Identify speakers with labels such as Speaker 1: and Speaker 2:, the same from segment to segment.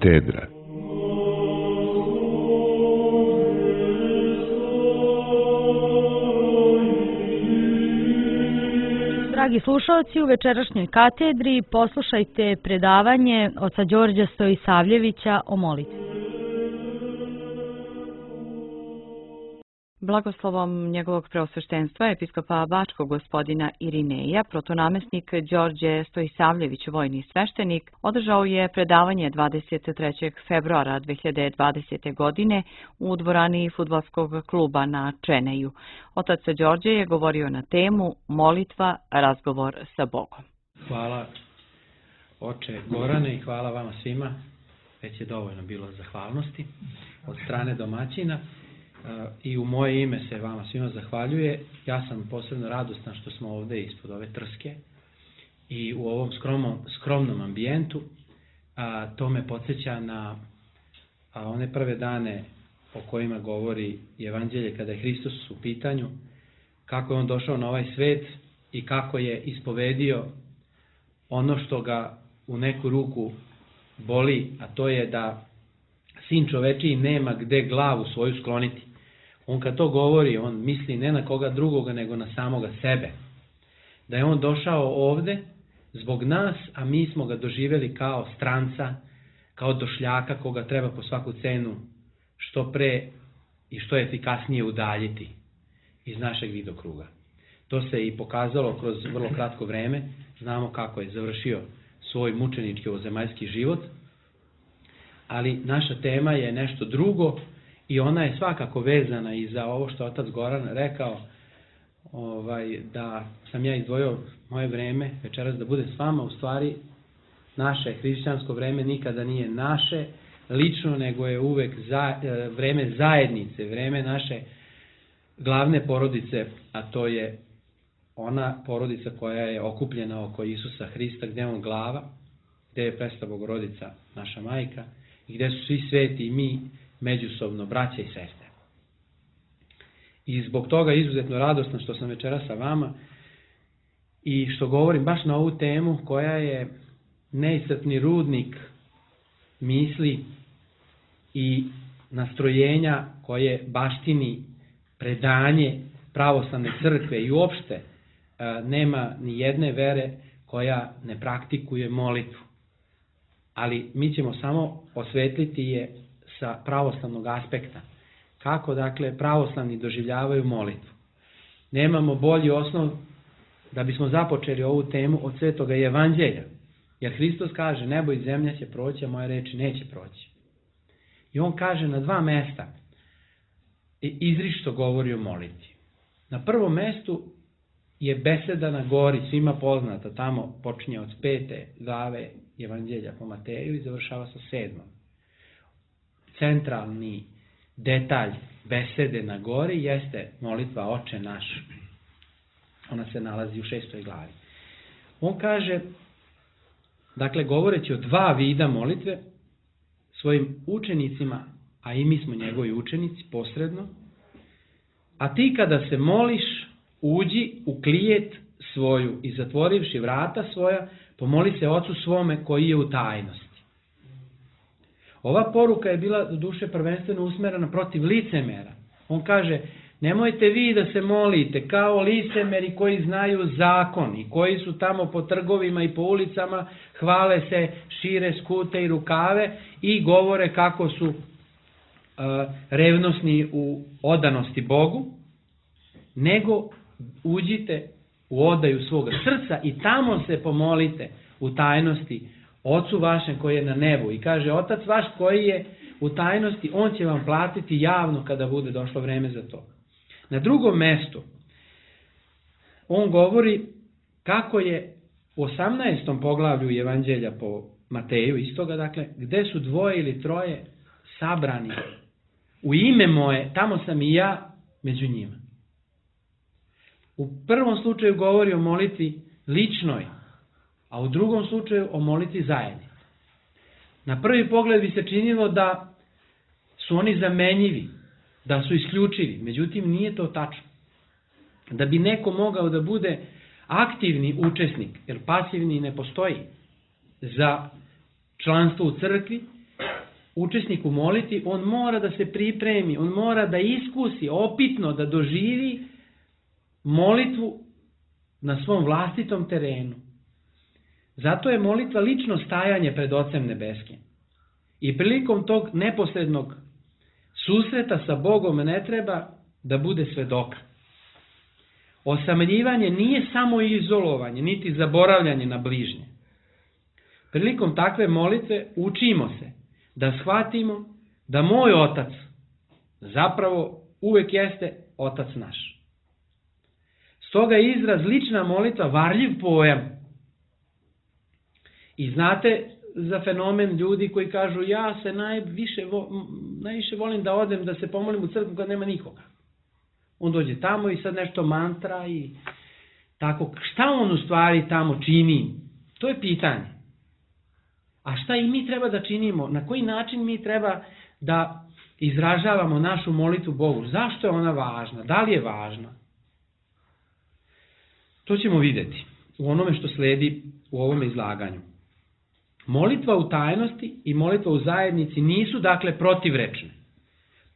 Speaker 1: Katedra.
Speaker 2: Dragi slušalci, u večerašnjoj katedri poslušajte predavanje oca Đorđa Stojisavljevića o molitvi. Blagoslovom njegovog preosveštenstva episkopa Bačkog gospodina Irineja, protonamestnik Đorđe Stojisavljević, vojni sveštenik, održao je predavanje 23. februara 2020. godine u dvorani fudbalskog kluba na Čeneju. Otac Đorđe je govorio na temu molitva, razgovor sa Bogom.
Speaker 3: Hvala oče Gorane i hvala vama svima. Već je dovoljno bilo zahvalnosti od strane domaćina. I u moje ime se vama svima zahvaljuje. Ja sam posebno radostan što smo ovdje ispod ove trske i u ovom skromnom ambijentu. To me podsjeća na one prve dane o kojima govori Evanđelje kada je Hristos u pitanju, kako je on došao na ovaj svet i kako je ispovedio ono što ga u neku ruku boli, a to je da sin čovečiji nema gde glavu svoju skloniti. On kad to govori, on misli ne na koga drugoga, nego na samoga sebe. Da je on došao ovde zbog nas, a mi smo ga doživjeli kao stranca, kao došljaka koga treba po svaku cenu što pre i što efikasnije udaljiti iz našeg vidokruga. To se i pokazalo kroz vrlo kratko vreme. Znamo kako je završio svoj mučenički ovozemaljski život, ali naša tema je nešto drugo i ona je svakako vezana i za ovo što otac Goran rekao, da sam ja izdvojio moje vreme večeras da budem s vama. U stvari naše hrišćansko vreme nikada nije naše lično, nego je uvek vreme zajednice, vreme naše glavne porodice, a to je ona porodica koja je okupljena oko Isusa Hrista, gdje je on glava, gdje je presveta Bogorodica naša majka i gdje su svi sveti i mi međusobno braća i sestre. I zbog toga izuzetno radosno što sam večeras sa vama i što govorim baš na ovu temu koja je neiscrpni rudnik misli i nastrojenja koje baštini predanje pravoslavne crkve i uopšte nema ni jedne vere koja ne praktikuje molitvu. Ali mi ćemo samo osvetliti je sa pravoslavnog aspekta. Kako, dakle, pravoslavni doživljavaju molitvu. Nemamo bolji osnov da bismo započeli ovu temu od Svetoga Evanđelja. Jer Hristos kaže, nebo i zemlja će proći, a moje reči neće proći. I on kaže na dva mesta izričito govori o molitvi. Na prvom mestu je beseda na gori, svima poznata, tamo počinje od 5. glave Evanđelja po Mateju i završava sa 7. Centralni detalj besede na gori jeste molitva Oče naš. Ona se nalazi u 6. glavi. On kaže, dakle, govoreći o dva vida molitve, svojim učenicima, a i mi smo njegovi učenici posredno, a ti kada se moliš, uđi u klijet svoju i zatvorivši vrata svoja, pomoli se Ocu svome koji je u tajnosti. Ova poruka je bila do duše prvenstveno usmerena protiv licemera. On kaže, nemojte vi da se molite kao licemeri koji znaju zakon i koji su tamo po trgovima i po ulicama, hvale se, šire skute i rukave i govore kako su revnosni u odanosti Bogu, nego uđite u odaju svoga srca i tamo se pomolite u tajnosti Ocu vašem koji je na nebu. I kaže, Otac vaš koji je u tajnosti, on će vam platiti javno kada bude došlo vreme za to. Na drugom mestu on govori kako je u 18. poglavlju Evanđelja po Mateju, istoga, dakle, gde su dvoje ili troje sabrani u ime moje, tamo sam i ja među njima. U prvom slučaju govori o molitvi ličnoj, a u drugom slučaju o molitvi zajednici. Na prvi pogled bi se činilo da su oni zamenjivi, da su isključivi, međutim nije to tačno. Da bi neko mogao da bude aktivni učesnik, jer pasivni ne postoji za članstvo u crkvi, učesnik u molitvi, on mora da se pripremi, on mora da iskusi, opitno da doživi molitvu na svom vlastitom terenu. Zato je molitva lično stajanje pred Ocem Nebeskim. I prilikom tog neposrednog susreta sa Bogom ne treba da bude svedoka. Osamljivanje nije samo izolovanje, niti zaboravljanje na bližnje. Prilikom takve molitve učimo se da shvatimo da moj Otac zapravo uvek jeste Otac naš. Stoga je izraz lična molitva varljiv pojam. I znate za fenomen ljudi koji kažu ja se najviše volim da odem da se pomolim u crkvu kad nema nikoga. On dođe tamo i sad nešto mantra i tako. Šta on u stvari tamo čini? To je pitanje. A šta i mi treba da činimo? Na koji način mi treba da izražavamo našu molitvu Bogu? Zašto je ona važna? Da li je važna? To ćemo vidjeti u onome što sledi u ovom izlaganju. Molitva u tajnosti i molitva u zajednici nisu dakle protivrečne.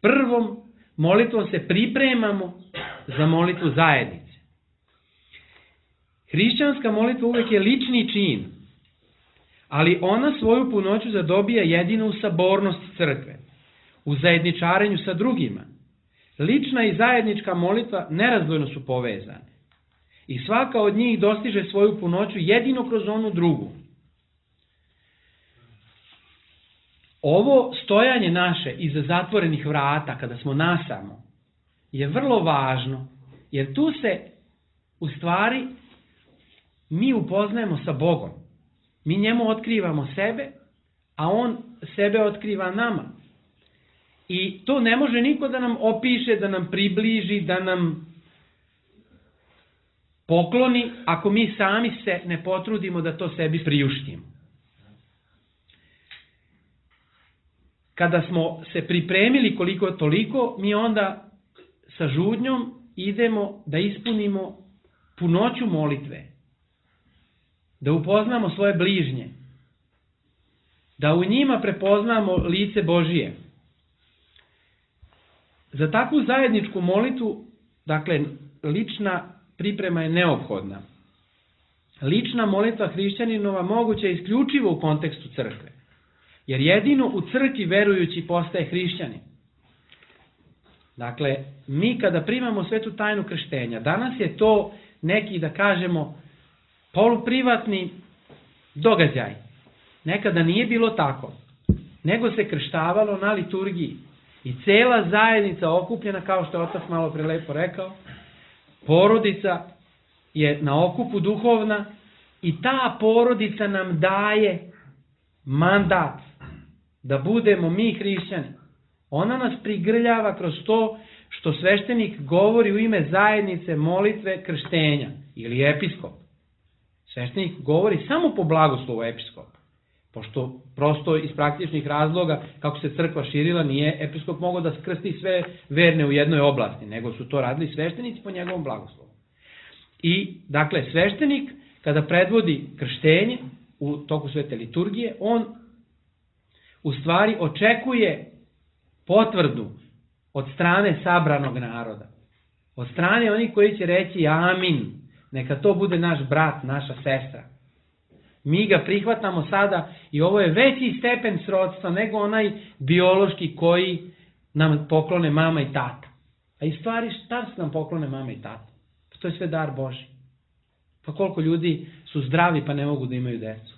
Speaker 3: Prvom molitvom se pripremamo za molitvu zajednice. Hrišćanska molitva uvek je lični čin, ali ona svoju punoću zadobija jedino u sabornosti crkve, u zajedničarenju sa drugima. Lična i zajednička molitva nerazdvojno su povezane i svaka od njih dostiže svoju punoću jedino kroz onu drugu. Ovo stojanje naše iza zatvorenih vrata, kada smo nasamo, je vrlo važno, jer tu se u stvari mi upoznajemo sa Bogom. Mi njemu otkrivamo sebe, a on sebe otkriva nama. I to ne može niko da nam opiše, da nam približi, da nam pokloni, ako mi sami se ne potrudimo da to sebi priuštimo. Kada smo se pripremili koliko toliko, mi onda sa žudnjom idemo da ispunimo punoću molitve, da upoznamo svoje bližnje, da u njima prepoznamo lice Božije. Za takvu zajedničku molitvu, dakle, lična priprema je neophodna. Lična molitva hrišćaninova moguća je isključivo u kontekstu crkve, jer jedino u crkvi verujući postaje hrišćanin. Dakle, mi kada primamo svetu tajnu krštenja, danas je to neki, da kažemo, poluprivatni događaj. Nekada nije bilo tako, nego se krštavalo na liturgiji. I cela zajednica okupljena, kao što je otac malo pre lepo rekao, porodica je na okupu duhovna i ta porodica nam daje mandat da budemo mi hrišćani. Ona nas prigrljava kroz to što sveštenik govori u ime zajednice molitve krštenja ili episkop. Sveštenik govori samo po blagoslovu episkopa, pošto prosto iz praktičnih razloga, kako se crkva širila, nije episkop mogao da krsti sve verne u jednoj oblasti, nego su to radili sveštenici po njegovom blagoslovu. I, dakle, sveštenik, kada predvodi krštenje u toku svete liturgije, on u stvari očekuje potvrdu od strane sabranog naroda, od strane onih koji će reći amin, neka to bude naš brat, naša sestra. Mi ga prihvatamo sada i ovo je veći stepen srodstva nego onaj biološki koji nam poklone mama i tata. A i stvari šta se nam poklone mama i tata? Pa to je sve dar Božji. Pa koliko ljudi su zdravi pa ne mogu da imaju decu?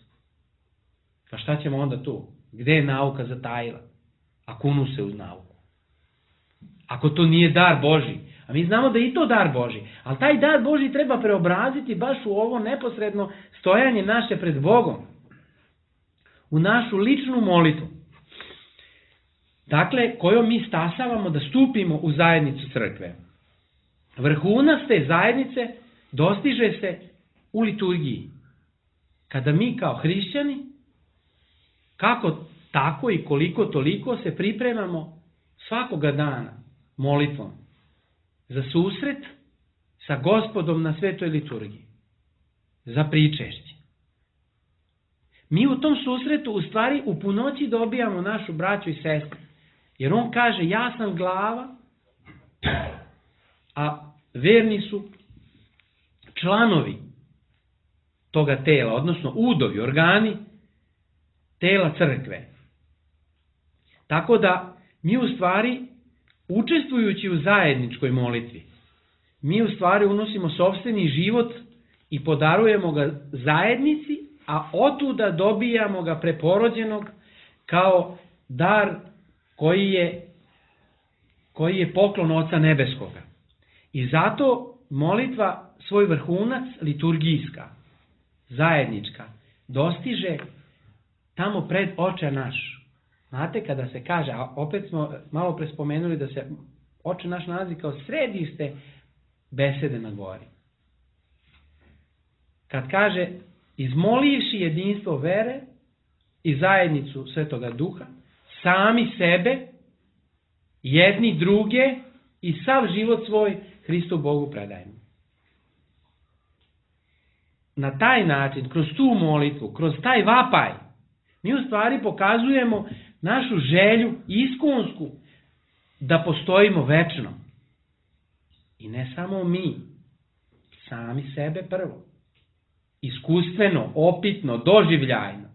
Speaker 3: Pa šta ćemo onda tu? Gde je nauka zatajila? A kunu se uz nauku. Ako to nije dar Božji, a mi znamo da je i to dar Božji, ali taj dar Božji treba preobraziti baš u ovo neposredno stojanje naše pred Bogom, u našu ličnu molitvu. Dakle, kojom mi stasavamo da stupimo u zajednicu crkve. Vrhunac te zajednice dostiže se u liturgiji. Kada mi kao hrišćani, kako tako i koliko toliko se pripremamo svakoga dana molitvom za susret sa Gospodom na svetoj liturgiji, za pričešće. Mi u tom susretu u stvari u punoći dobijamo našu braću i sestru. Jer on kaže ja sam glava, a verni su članovi toga tela, odnosno udovi, organi tela crkve. Tako da mi u stvari, učestvujući u zajedničkoj molitvi, mi u stvari unosimo sopstveni život i podarujemo ga zajednici, a otuda dobijamo ga preporođenog kao dar koji je poklon Oca Nebeskoga. I zato molitva svoj vrhunac, liturgijska, zajednička, dostiže tamo pred Oče naš. Znate, kada se kaže, a opet smo malo pre spomenuli da se Oče naš nalazi kao središte besede na gori. Kad kaže, izmolivši jedinstvo vere i zajednicu Svetoga Duha, sami sebe, jedni druge i sav život svoj Hristu Bogu predajemo. Na taj način, kroz tu molitvu, kroz taj vapaj, mi u stvari pokazujemo našu želju iskonsku da postojimo večno. I ne samo mi, sami sebe prvo. Iskustveno, opitno, doživljajno.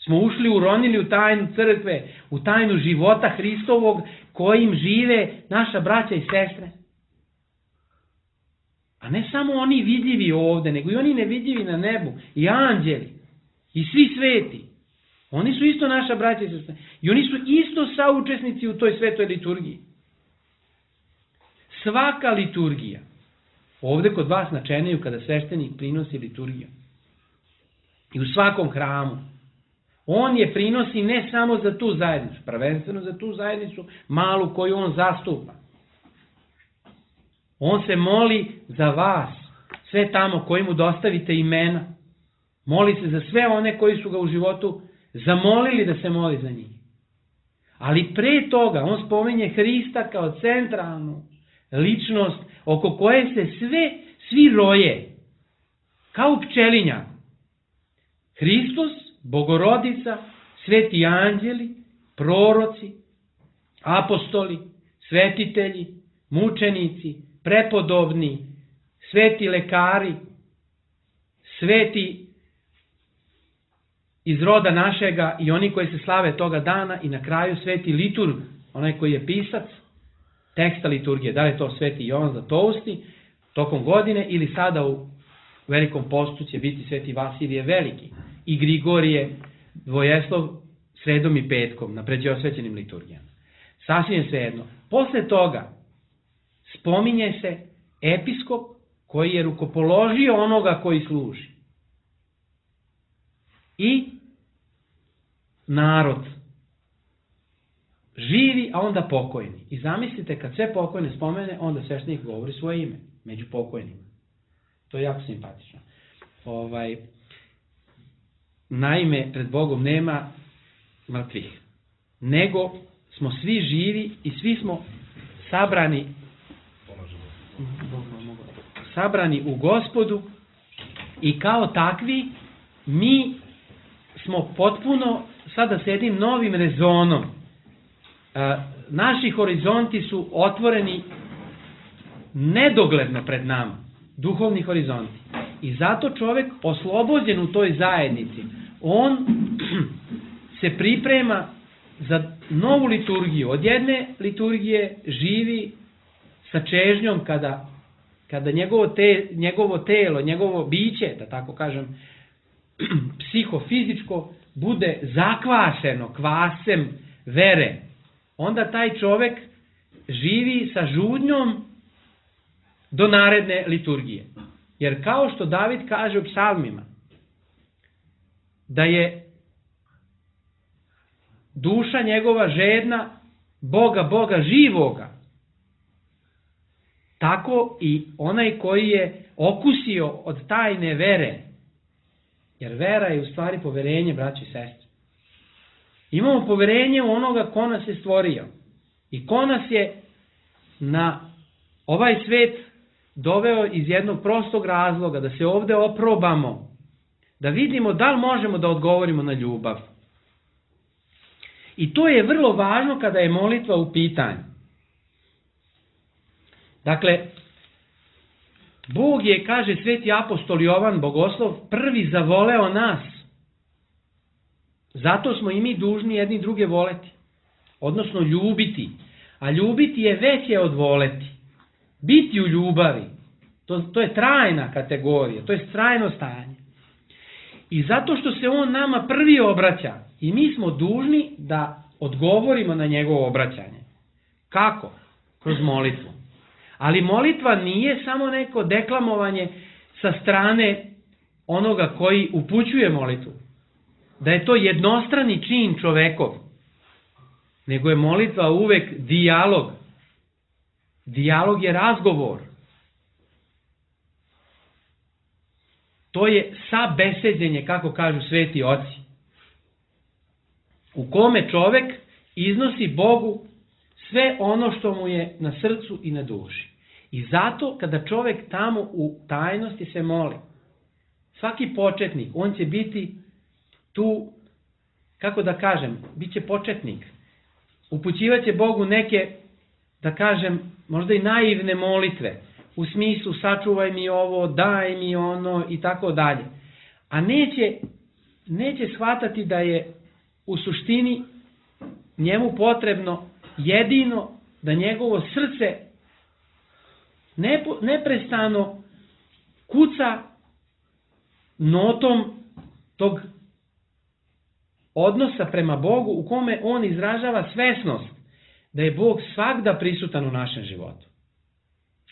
Speaker 3: Smo ušli, uronili u tajnu crkve, u tajnu života Hristovog kojim žive naša braća i sestre. A ne samo oni vidljivi ovde, nego i oni nevidljivi na nebu, i anđeli, i svi sveti. Oni su isto naša braća i sestre. I oni su isto saučesnici u toj svetoj liturgiji. Svaka liturgija, ovde kod vas na Čeneju, kada sveštenik prinosi liturgiju, i u svakom hramu, on je prinosi ne samo za tu zajednicu, prvenstveno za tu zajednicu malu koju on zastupa. On se moli za vas, sve tamo koji mu dostavite imena. Moli se za sve one koji su ga u životu zamolili da se moli za njih. Ali pre toga on spominje Hrista kao centralnu ličnost oko koje se svi roje, kao pčelinja. Hristos, Bogorodica, sveti anđeli, proroci, apostoli, svetitelji, mučenici, prepodobni, sveti lekari, sveti iz roda našega i oni koji se slave toga dana, i na kraju sveti liturg, onaj koji je pisac teksta liturgije. Da li je to sveti Jovan Zlatousti tokom godine, ili sada u Velikom postu će biti sveti Vasilije Veliki i Grigorije Dvojeslov sredom i petkom na pređeosvećenim liturgijama. Sasvim svejedno. Posle toga spominje se episkop koji je rukopoložio onoga koji služi. I narod. Živi, a onda pokojni. I zamislite, kad sve pokojne spomene, onda sveštenik govori svoje ime među pokojnima. To je jako simpatično. Naime, pred Bogom nema mrtvih, nego smo svi živi i svi smo sabrani u Gospodu, i kao takvi mi smo potpuno sada s jednim novim rezonom. Naši horizonti su otvoreni nedogledno pred nama, duhovni horizonti. I zato čovjek oslobođen u toj zajednici, on se priprema za novu liturgiju. Od jedne liturgije živi sa čežnjom kada njegovo telo, njegovo biće, da tako kažem, psihofizičko, bude zakvašeno kvasem vere. Onda taj čovjek živi sa žudnjom do naredne liturgije. Jer kao što David kaže u psalmima, da je duša njegova žedna Boga živoga, tako i onaj koji je okusio od tajne vere, jer vera je u stvari poverenje, braći i sestre. Imamo poverenje u onoga ko nas je stvorio i ko nas je na ovaj svet doveo iz jednog prostog razloga, da se ovde oprobamo Da vidimo da li možemo da odgovorimo na ljubav. I to je vrlo važno kada je molitva u pitanju. Dakle, Bog je, kaže sveti apostol Jovan Bogoslov, prvi zavoleo nas. Zato smo i mi dužni jedni druge voleti. Odnosno ljubiti. A ljubiti je veće od voleti. Biti u ljubavi. To je trajna kategorija. To je trajno stanje. I zato što se on nama prvi obraća. I mi smo dužni da odgovorimo na njegovo obraćanje. Kako? Kroz molitvu. Ali molitva nije samo neko deklamovanje sa strane onoga koji upućuje molitvu. Da je to jednostrani čin čovekov. Nego je molitva uvek dijalog. Dijalog je razgovor. To je sabeseđenje, kako kažu sveti oci. U kome čovek iznosi Bogu sve ono što mu je na srcu i na duši. I zato kada čovek tamo u tajnosti se moli, svaki početnik, on će biti tu, kako da kažem, bit će početnik. Upućivaće Bogu neke, da kažem, možda i naivne molitve, u smislu sačuvaj mi ovo, daj mi ono i tako dalje. A neće shvatati da je u suštini njemu potrebno jedino da njegovo srce neprestano kuca notom tog odnosa prema Bogu u kome on izražava svesnost da je Bog svagda prisutan u našem životu.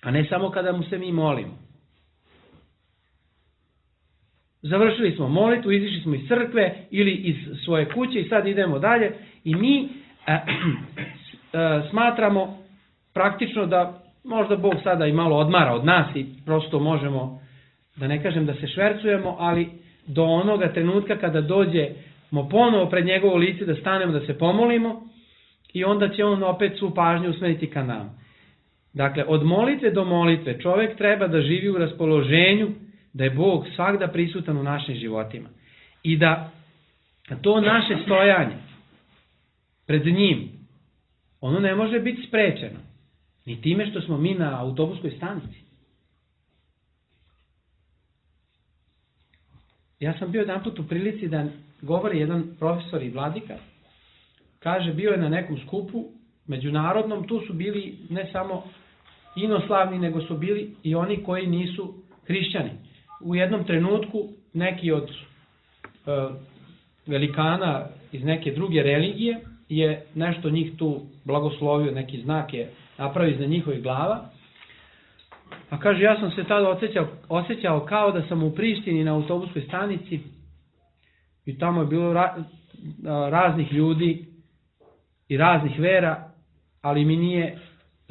Speaker 3: A ne samo kada mu se mi molimo. Završili smo molitvu, izišli smo iz crkve ili iz svoje kuće i sad idemo dalje i mi smatramo praktično da možda Bog sada i malo odmara od nas i prosto možemo, da ne kažem da se švercujemo, ali do onoga trenutka kada dođemo ponovo pred njegovo lice da stanemo da se pomolimo i onda će on opet svu pažnju usmeriti ka nama. Dakle, od molitve do molitve čovjek treba da živi u raspoloženju da je Bog svagda prisutan u našim životima. I da to naše stojanje pred njim, ono ne može biti sprečeno. Ni time što smo mi na autobuskoj stanici. Ja sam bio jedanput u prilici da govori jedan profesor i vladika. Kaže, bio je na nekom skupu međunarodnom, tu su bili ne samo inoslavni, nego su bili i oni koji nisu hrišćani. U jednom trenutku neki od velikana iz neke druge religije je nešto njih tu blagoslovio, neki znak je napravio iznad njihovih glava. A kaže, ja sam se tada osjećao kao da sam u Prištini na autobuskoj stanici i tamo je bilo raznih ljudi i raznih vera, ali mi nije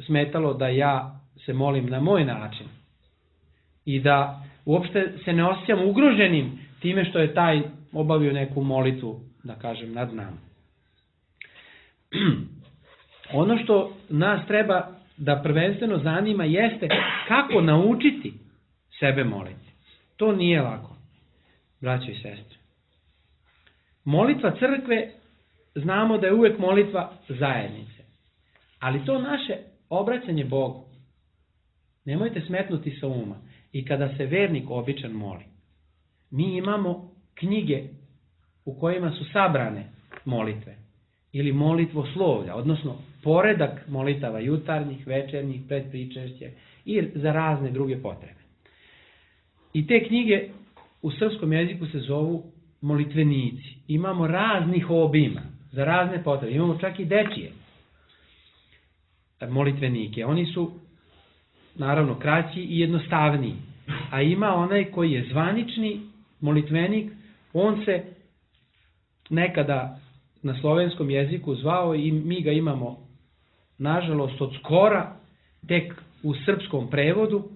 Speaker 3: smetalo da ja se molim na moj način. I da uopšte se ne osjećam ugroženim time što je taj obavio neku molitvu, da kažem, nad nama. Ono što nas treba da prvenstveno zanima jeste kako naučiti sebe moliti. To nije lako, braćo i sestre. Molitva crkve, znamo da je uvek molitva zajednice. Ali to naše obraćanje Bogu, nemojte smetnuti sa uma. I kada se vernik običan moli, mi imamo knjige u kojima su sabrane molitve ili molitvoslovlja, odnosno poredak molitava jutarnjih, večernjih, predpričešće i za razne druge potrebe. I te knjige u srpskom jeziku se zovu molitvenici. Imamo raznih obima za razne potrebe. Imamo čak i dečije molitvenike. Oni su naravno kraći i jednostavniji. A ima onaj koji je zvanični molitvenik, on se nekada na slovenskom jeziku zvao i mi ga imamo nažalost od skora tek u srpskom prevodu,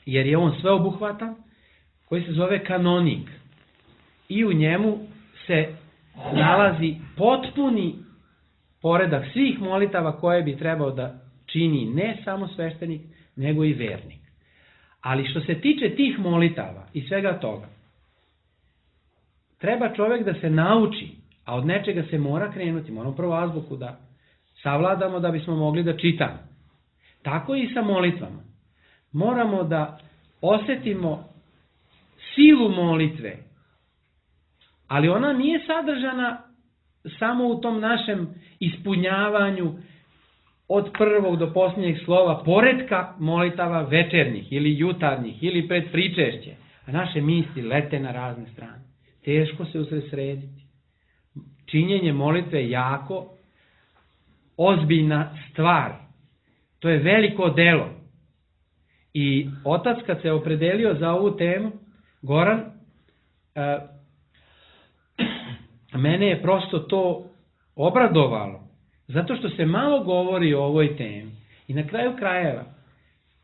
Speaker 3: jer je on sveobuhvatan, koji se zove kanonik. I u njemu se nalazi potpuni poredak svih molitava koje bi trebao da čini ne samo sveštenik, nego i vernik. Ali što se tiče tih molitava i svega toga, treba čovjek da se nauči, a od nečega se mora krenuti, moramo prvo azbuku da savladamo da bismo mogli da čitamo. Tako i sa molitvama. Moramo da osjetimo silu molitve, ali ona nije sadržana samo u tom našem ispunjavanju od prvog do posljednjeg slova, poredka molitava večernjih ili jutarnjih ili pred pričešće, a naše misli lete na razne strane. Teško se usredsrediti. Činjenje molitve je jako ozbiljna stvar. To je veliko delo. I otac kad se opredelio za ovu temu, Goran, mene je prosto to obradovalo, zato što se malo govori o ovoj temi. I na kraju krajeva,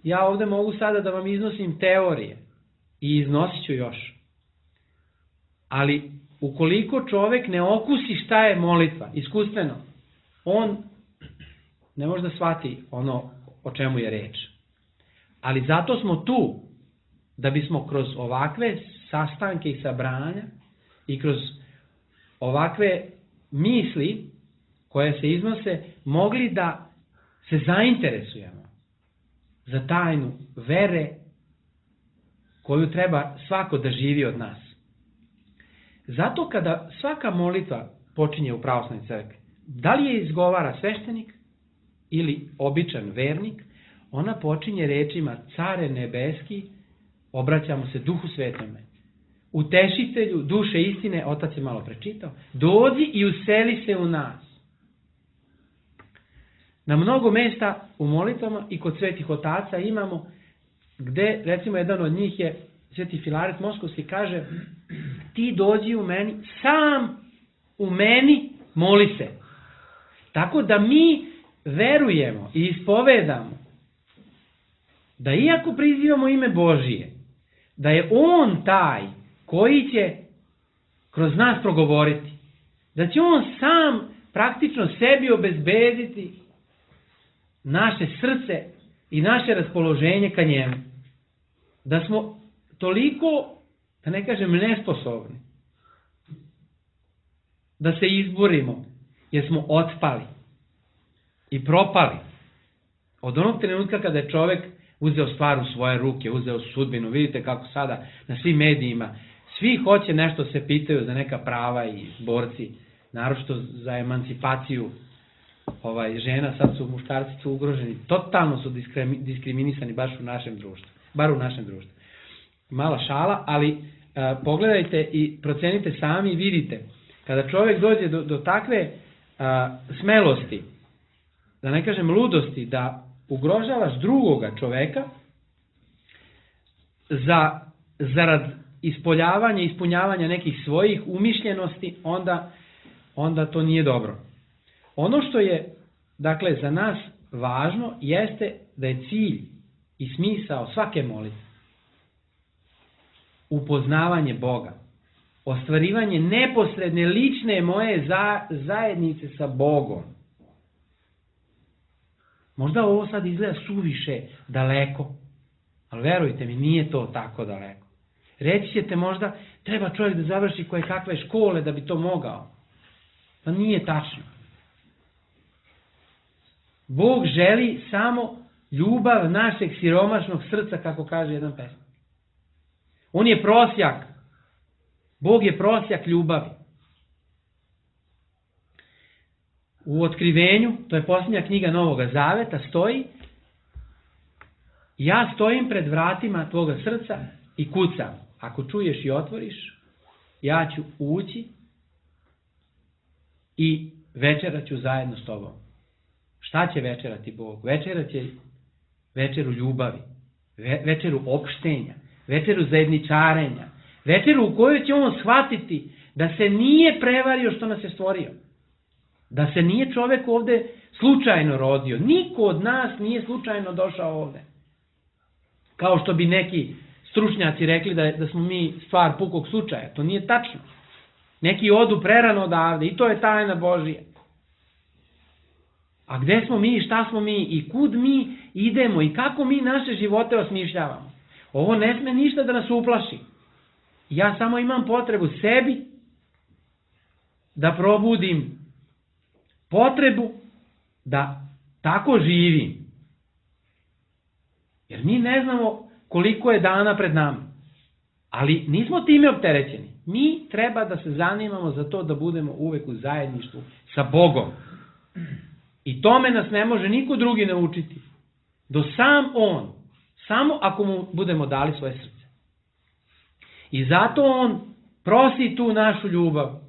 Speaker 3: ja ovdje mogu sada da vam iznosim teorije i iznosit ću još. Ali ukoliko čovjek ne okusi šta je molitva, iskustveno, on ne može da shvati ono o čemu je reč. Ali zato smo tu, da bismo kroz ovakve sastanke i sabranja i kroz ovakve misli koje se iznose, mogli da se zainteresujemo za tajnu vere koju treba svako da živi od nas. Zato kada svaka molitva počinje u pravoslavnoj crkvi, da li je izgovara sveštenik ili običan vernik, ona počinje rečima Care nebeski, obraćamo se Duhu Svetome. Utešitelju duše istine, otac je malo prečitao, dođi i useli se u nas. Na mnogo mesta u molitvama i kod svetih otaca imamo gde, recimo, jedan od njih je Sveti Filaret Moskovski, kaže ti dođi u meni, sam u meni moli se. Tako da mi verujemo i ispovedamo da iako prizivamo ime Božije, da je On taj koji će kroz nas progovoriti, da će On sam praktično sebi obezbediti naše srce i naše raspoloženje ka njemu. Da smo toliko, da ne kažem nesposobni, da se izborimo, jer smo otpali i propali. Od onog trenutka kada je čovjek uzeo stvar u svoje ruke, uzeo sudbinu, vidite kako sada na svim medijima, svi hoće nešto se pitaju za neka prava i borci, naročito za emancipaciju žena, sad su muškarci ugroženi, totalno su diskriminisani baš u našem društvu, bar u našem društvu. Mala šala, ali pogledajte i procenite sami i vidite, kada čovjek dođe do takve smelosti, da ne kažem ludosti, da ugrožavaš drugoga čoveka zarad ispoljavanja i ispunjavanja nekih svojih umišljenosti, onda to nije dobro. Ono što je, dakle, za nas važno jeste da je cilj i smisao svake molitve upoznavanje Boga, ostvarivanje neposredne lične moje zajednice sa Bogom. Možda ovo sad izgleda suviše daleko, ali verujte mi, nije to tako daleko. Reći ćete možda, treba čovjek da završi koje kakve škole da bi to mogao. Pa nije tačno. Bog želi samo ljubav našeg siromašnog srca, kako kaže jedan pesnik. On je prosjak. Bog je prosjak ljubavi. U Otkrivenju, to je posljednja knjiga Novoga Zaveta, stoji: ja stojim pred vratima tvoga srca i kucam. Ako čuješ i otvoriš, ja ću ući i večerat ću zajedno s tobom. Šta će večerati Bog? Večerat će večeru ljubavi, večeru opštenja, večeru zajedničarenja, večeru u kojoj će on shvatiti da se nije prevario što nas je stvorio. Da se nije čovjek ovdje slučajno rodio. Niko od nas nije slučajno došao ovdje. Kao što bi neki stručnjaci rekli da smo mi stvar pukog slučaja. To nije tačno. Neki odu prerano odavde i to je tajna Božija. A gde smo mi, šta smo mi i kud mi idemo i kako mi naše živote osmišljavamo. Ovo ne sme ništa da nas uplaši. Ja samo imam potrebu sebi da probudim potrebu da tako živim. Jer mi ne znamo koliko je dana pred nama. Ali nismo time opterećeni. Mi treba da se zanimamo za to da budemo uvek u zajedništvu sa Bogom. I tome nas ne može niko drugi naučiti. Do sam On. Samo ako mu budemo dali svoje srce. I zato On prosi tu našu ljubav.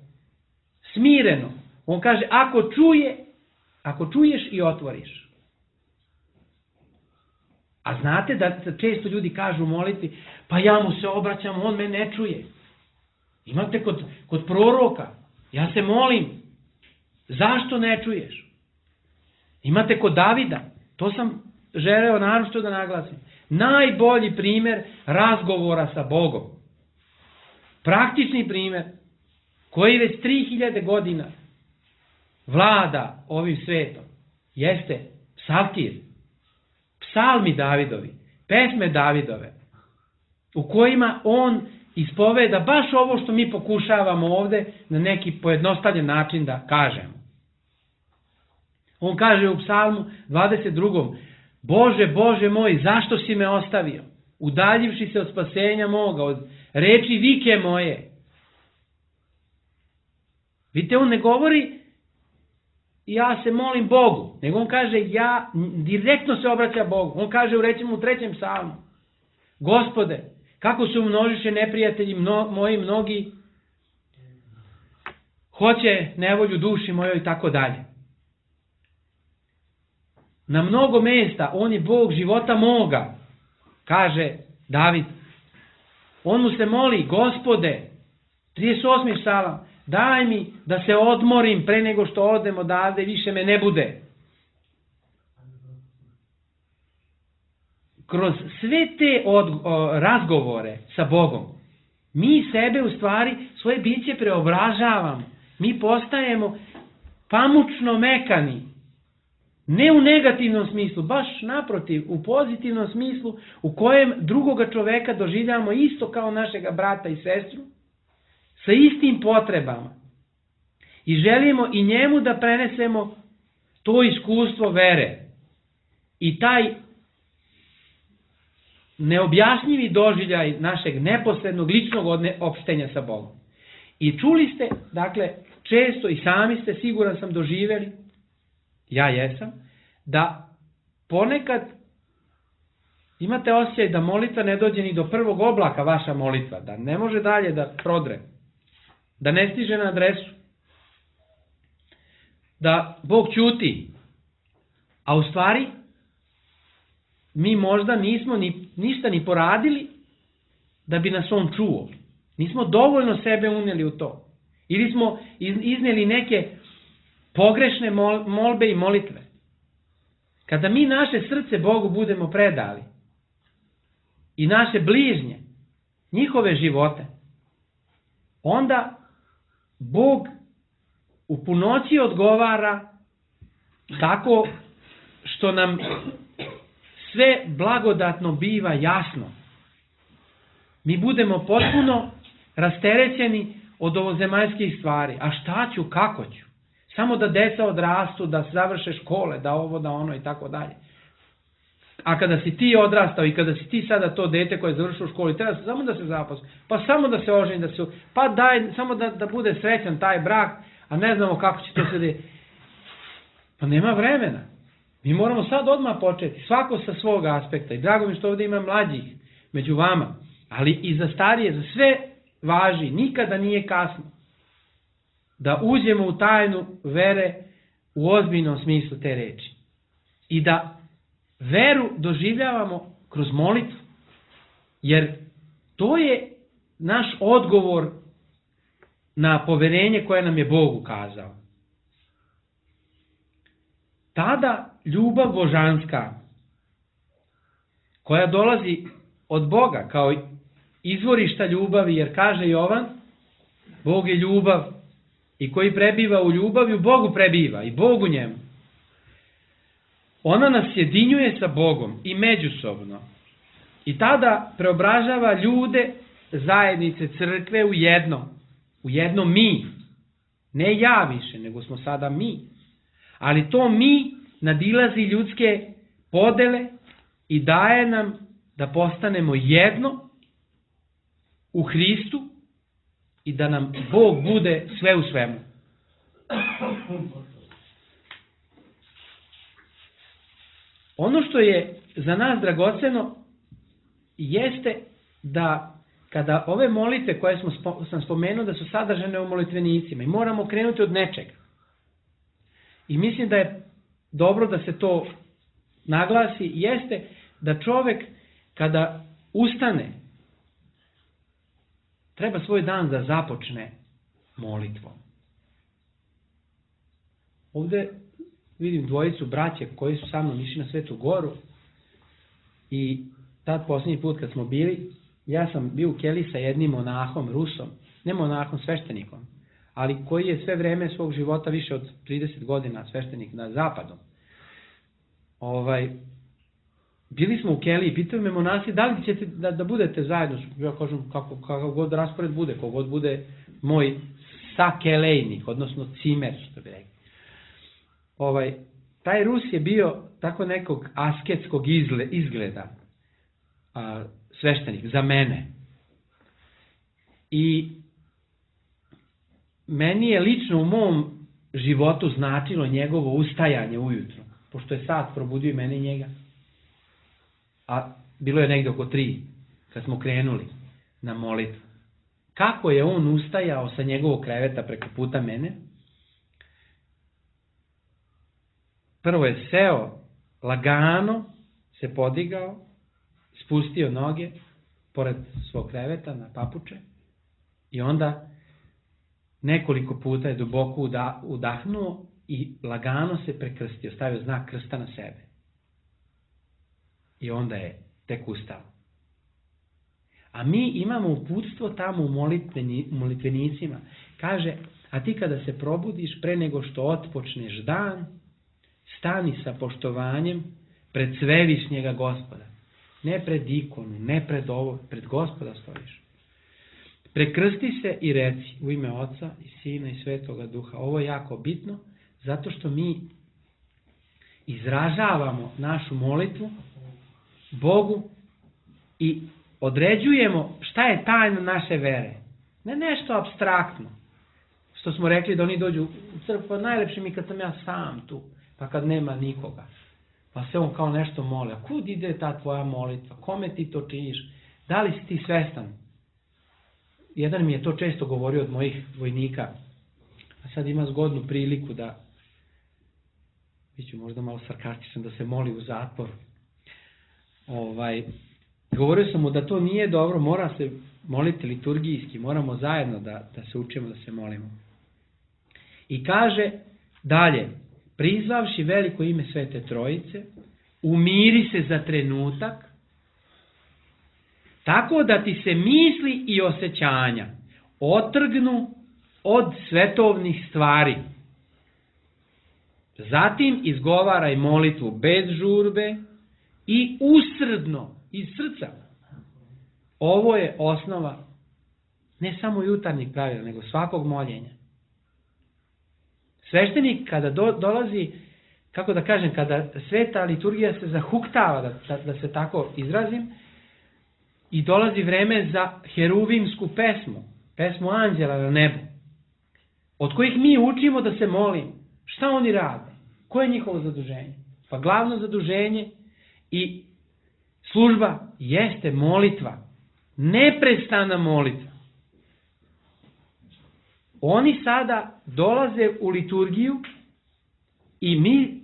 Speaker 3: Smireno. On kaže, ako čuješ i otvoriš. A znate da često ljudi kažu u molitvi, pa ja mu se obraćam, on me ne čuje. Imate kod proroka, ja se molim, zašto ne čuješ? Imate kod Davida, to sam želeo naročito da naglasim. Najbolji primer razgovora sa Bogom. Praktični primer, koji već 3000 godina vlada ovim svetom, jeste psaltir, psalmi Davidovi, pesme Davidove, u kojima on ispoveda baš ovo što mi pokušavamo ovde na neki pojednostavljen način da kažemo. On kaže u psalmu 22. Bože, Bože moj, zašto si me ostavio? Udaljivši se od spasenja moga, od reči vike moje. Vidite, on ne govori ja se molim Bogu, nego on kaže ja direktno se obraća Bogu. On kaže recimo u 3. psalmu, Gospode, kako su množiše neprijatelji moji mnogi, hoće nevolju duši mojoj i tako dalje. Na mnogo mesta on je Bog života moga, kaže David. On mu se moli, Gospode, 38. psalam, daj mi da se odmorim pre nego što odem odavde, više me ne bude. Kroz sve te razgovore sa Bogom, mi sebe u stvari, svoje biće preobražavamo. Mi postajemo pamučno mekani. Ne u negativnom smislu, baš naprotiv, u pozitivnom smislu u kojem drugoga čoveka doživljamo isto kao našega brata i sestru, sa istim potrebama. I želimo i njemu da prenesemo to iskustvo vere. I taj neobjašnjivi doživljaj našeg neposrednog ličnog opštenja sa Bogom. I čuli ste, dakle, često i sami ste, siguran sam, doživjeli, ja jesam, da ponekad imate osjećaj da molitva ne dođe ni do prvog oblaka vaša molitva, da ne može dalje da prodre, da ne stiže na adresu, da Bog ćuti, a u stvari mi možda nismo ništa ni poradili da bi nas on čuo. Nismo dovoljno sebe unijeli u to. Ili smo iznijeli neke pogrešne molbe i molitve. Kada mi naše srce Bogu budemo predali i naše bližnje, njihove živote, onda Bog u punoći odgovara tako što nam sve blagodatno biva jasno. Mi budemo potpuno rasterećeni od ovozemaljskih stvari. A šta ću, kako ću? Samo da deca odrastu, da završe škole, da ovo, da ono i tako dalje. A kada si ti odrastao i kada si ti sada to dete koje je završilo školu, treba samo da se zaposli, pa samo da se oženi, pa daj, samo da bude srećan taj brak, a ne znamo kako će to se desiti. Pa nema vremena. Mi moramo sad odmah početi, svako sa svog aspekta. I drago mi što ovdje ima mlađih među vama, ali i za starije, za sve važi, nikada nije kasno da uđemo u tajnu vere u ozbiljnom smislu te reči. I da veru doživljavamo kroz molitvu. Jer to je naš odgovor na poverenje koje nam je Bog ukazao. Tada ljubav božanska, koja dolazi od Boga kao izvorišta ljubavi, jer kaže Jovan, Bog je ljubav i koji prebiva u ljubavi, u Bogu prebiva i Bog u njemu. Ona nas sjedinjuje sa Bogom i međusobno. I tada preobražava ljude, zajednice, crkve u jedno mi. Ne ja više, nego smo sada mi. Ali to mi nadilazi ljudske podele i daje nam da postanemo jedno u Hristu i da nam Bog bude sve u svemu. Ono što je za nas dragoceno jeste da kada ove molitve koje sam spomenuo da su sadržane u molitvenicima i moramo krenuti od nečega. I mislim da je dobro da se to naglasi, jeste da čovek kada ustane treba svoj dan da započne molitvom. Ovde vidim dvojicu braće koji su sa mnom išli na Svetu Goru i tad posljednji put kad smo bili, ja sam bio u keliji sa jednim monahom, Rusom, ne monahom, sveštenikom, ali koji je sve vreme svog života više od 30 godina sveštenik na zapadu. Bili smo u keliji, pitaju me monasi da li ćete da budete zajedno, ja kažem kakav god raspored bude, kogod bude moj sakelejnik, odnosno cimer, što bi rekli. Taj Rus je bio tako nekog asketskog izgleda, sveštenik, za mene. I meni je lično u mom životu značilo njegovo ustajanje ujutro, pošto je sat probudio i mene i njega. A bilo je negdje oko 3 kad smo krenuli na molitvu. Kako je on ustajao sa njegovog kreveta preko puta mene? Prvo je seo, lagano se podigao, spustio noge pored svog kreveta na papuče i onda nekoliko puta je duboko udahnuo i lagano se prekrstio, stavio znak krsta na sebe. I onda je tek ustao. A mi imamo uputstvo tamo u molitvenicima. Kaže, a ti kada se probudiš pre nego što otpočneš dan, stani sa poštovanjem pred svevišnjega Gospoda. Ne pred ikonu, ne pred ovo, pred Gospoda stojiš. Prekrsti se i reci u ime Oca i Sina i Svetoga Duha. Ovo je jako bitno, zato što mi izražavamo našu molitvu Bogu i određujemo šta je tajna naše vere. Ne nešto apstraktno. Što smo rekli da oni dođu u crkvu, najlepše mi kad sam ja sam tu, pa kad nema nikoga. Pa se on kao nešto moli. A kud ide ta tvoja molitva? Kome ti to činiš? Da li si ti svestan? Jedan mi je to često govorio od mojih vojnika. A sad ima zgodnu priliku da, biću možda malo sarkastičan, da se moli u zatvoru. Govorio sam mu da to nije dobro, mora se moliti liturgijski, moramo zajedno da se učimo da se molimo. I kaže dalje, prizvavši veliko ime Svete Trojice, umiri se za trenutak, tako da ti se misli i osjećanja otrgnu od svetovnih stvari. Zatim izgovaraj molitvu bez žurbe i usrdno, iz srca. Ovo je osnova ne samo jutarnjeg pravila, nego svakog moljenja. Sveštenik kada dolazi, kako da kažem, kada sveta liturgija se zahuktava, da se tako izrazim, i dolazi vreme za heruvimsku pesmu anđela na nebu, od kojih mi učimo da se molimo. Šta oni rade? Koje je njihovo zaduženje? Pa glavno zaduženje i služba jeste molitva. Neprestana molitva. Oni sada dolaze u liturgiju i mi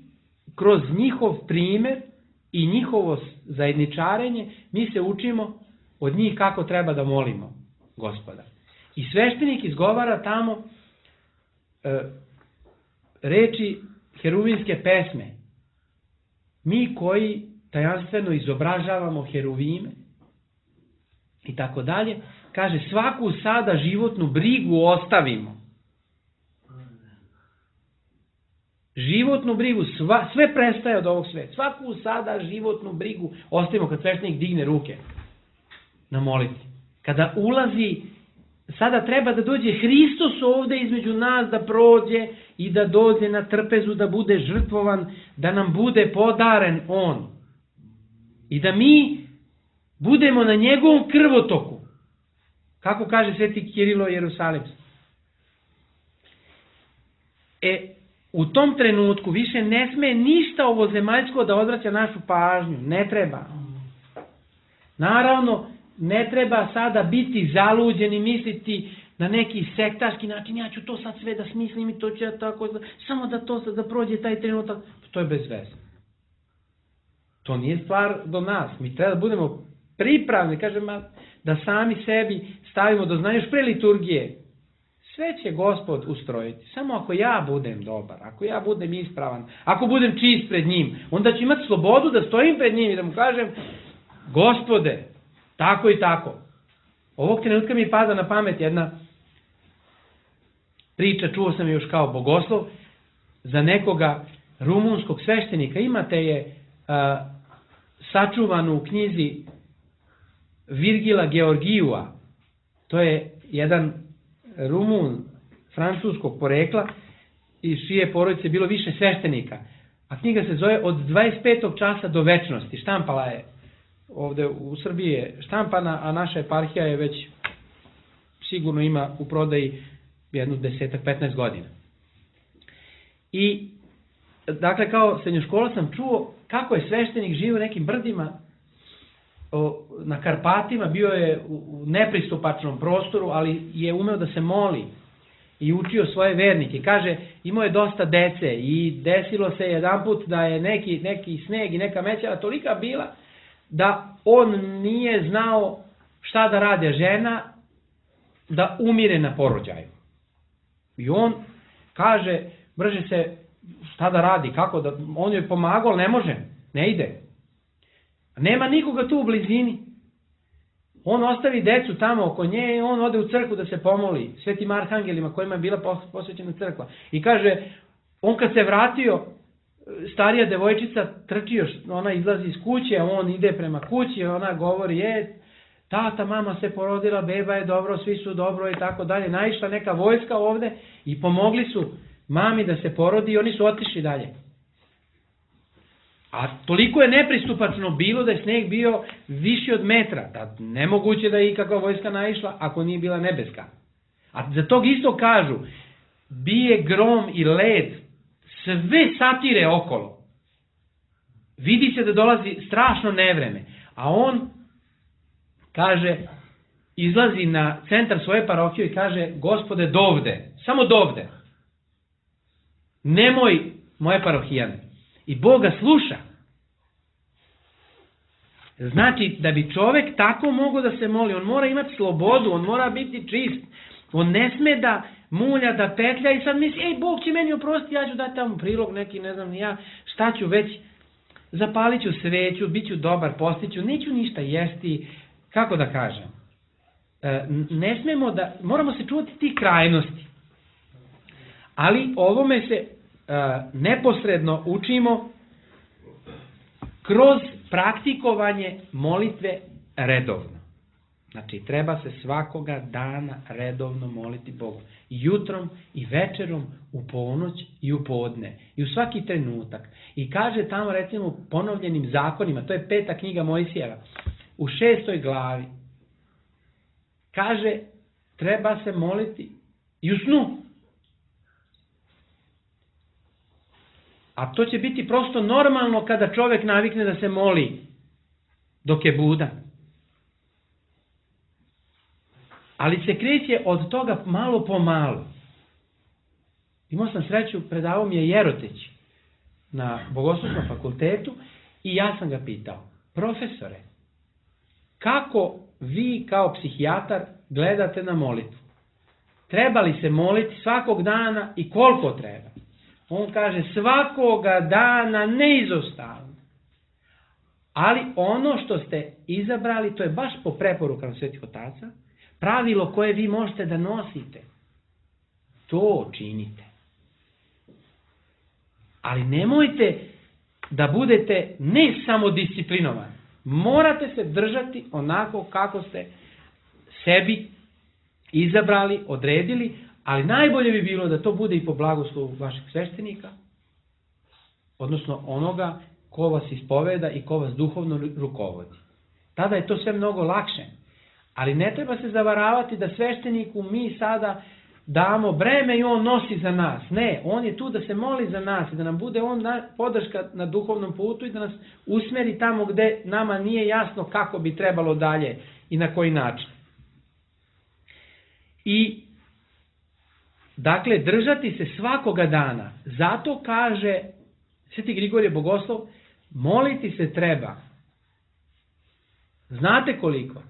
Speaker 3: kroz njihov primer i njihovo zajedničarenje mi se učimo od njih kako treba da molimo Gospoda. I sveštenik izgovara tamo reči heruvimske pesme. Mi koji tajanstveno izobražavamo heruvime i tako dalje, kaže svaku sada životnu brigu ostavimo. Životnu brigu, sve prestaje od ovog sveta. Svaku sada životnu brigu ostavimo kad sveštenik digne ruke na molitvi. Kada ulazi sada treba da dođe Hristos ovde između nas, da prođe i da dođe na trpezu, da bude žrtvovan, da nam bude podaren on. I da mi budemo na njegovom krvotoku. Kako kaže sveti Kirilo Jerusalimski. U tom trenutku više ne sme ništa ovozemaljsko da odvraća našu pažnju. Ne treba. Naravno, ne treba sada biti zaluđen i misliti na neki sektaški način, ja ću to sad sve da smislim i to ću ja tako, samo da to sad da prođe taj trenutak. To je bez veze. To nije stvar do nas. Mi treba da budemo pripravni, kažem, da sami sebi stavimo do znanja još pre liturgije. Sve će Gospod ustrojiti. Samo ako ja budem dobar, ako ja budem ispravan, ako budem čist pred njim, onda ću imati slobodu da stojim pred njim i da mu kažem, Gospode, tako i tako. Ovog trenutka mi pada na pamet jedna priča, čuo sam još kao bogoslov, za nekoga rumunskog sveštenika. Imate je sačuvanu u knjizi Virgila Georgijua. To je jedan Rumun francuskog porekla i čije porodice bilo više sveštenika. A knjiga se zove Od 25. časa do večnosti. Štampala je ovde u Srbiji je štampana, a naša eparhija je već sigurno ima u prodaji jednu 10-15 godina. I dakle, kao srednjoškolac sam čuo kako je sveštenik živio u nekim brdima na Karpatima, bio je u nepristupačnom prostoru, ali je umeo da se moli i učio svoje vernike. Kaže, imao je dosta dece i desilo se jedanput da je neki sneg i neka mećava tolika bila da on nije znao šta da rade žena da umire na porođaju. I on kaže, brže se, šta da radi, kako da, on joj pomagao, ali ne može, ne ide. Nema nikoga tu u blizini. On ostavi decu tamo oko nje i on ode u crkvu da se pomoli svetim arhangelima kojima je bila posvećena crkva. I kaže, on kad se vratio, starija devojčica trči još, ona izlazi iz kuće, on ide prema kući, ona govori, tata, mama se porodila, beba je dobro, svi su dobro i tako dalje. Naišla neka vojska ovde i pomogli su mami da se porodi i oni su otišli dalje. A toliko je nepristupačno bilo da je sneg bio viši od metra, da nemoguće da je ikakva vojska naišla ako nije bila nebeska. A za tog isto kažu, bije grom i led, sve satire okolo. Vidi se da dolazi strašno nevreme, a on kaže, izlazi na centar svoje parohije i kaže, Gospode, dovde, samo dovde, nemoj moje parohijane. I Bog ga sluša. Znači, da bi čovek tako mogao da se moli, on mora imati slobodu, on mora biti čist, on ne sme da mulja, da petlja i sad misli, Bog će meni oprostiti, ja ću dati tamo prilog neki, ne znam ni ja, šta ću već, zapalit ću sveću, bit ću dobar, postiću, neću ništa jesti, kako da kažem. Ne smemo da, moramo se čuvati tih krajnosti. Ali ovome se neposredno učimo kroz praktikovanje molitve redovno. Znači, treba se svakoga dana redovno moliti Bogu. I jutrom, i večerom, u ponoć i u podne. I u svaki trenutak. I kaže tamo, recimo, u ponovljenim zakonima, to je 5. knjiga Mojsijeva, u 6. glavi, kaže, treba se moliti i u snu. A to će biti prosto normalno kada čovjek navikne da se moli dok je budan. Ali se kreće od toga malo po malo. Imao sam sreću, predavao mi je Jeroteć na Bogoslovskom fakultetu i ja sam ga pitao, profesore, kako vi kao psihijatar gledate na molitvu? Treba li se moliti svakog dana i koliko treba? On kaže, svakoga dana neizostavno. Ali ono što ste izabrali, to je baš po preporukama svetih otaca, pravilo koje vi možete da nosite. To činite. Ali nemojte da budete ne samo disciplinovani. Morate se držati onako kako ste sebi izabrali, odredili, ali najbolje bi bilo da to bude i po blagoslovu vašeg sveštenika, odnosno onoga ko vas ispoveda i ko vas duhovno rukovodi. Tada je to sve mnogo lakše. Ali ne treba se zavaravati da svešteniku mi sada damo breme i on nosi za nas. Ne, on je tu da se moli za nas i da nam bude on podrška na duhovnom putu i da nas usmeri tamo gde nama nije jasno kako bi trebalo dalje i na koji način. I dakle, držati se svakoga dana. Zato kaže Sveti Grigorije Bogoslov, moliti se treba. Znate koliko?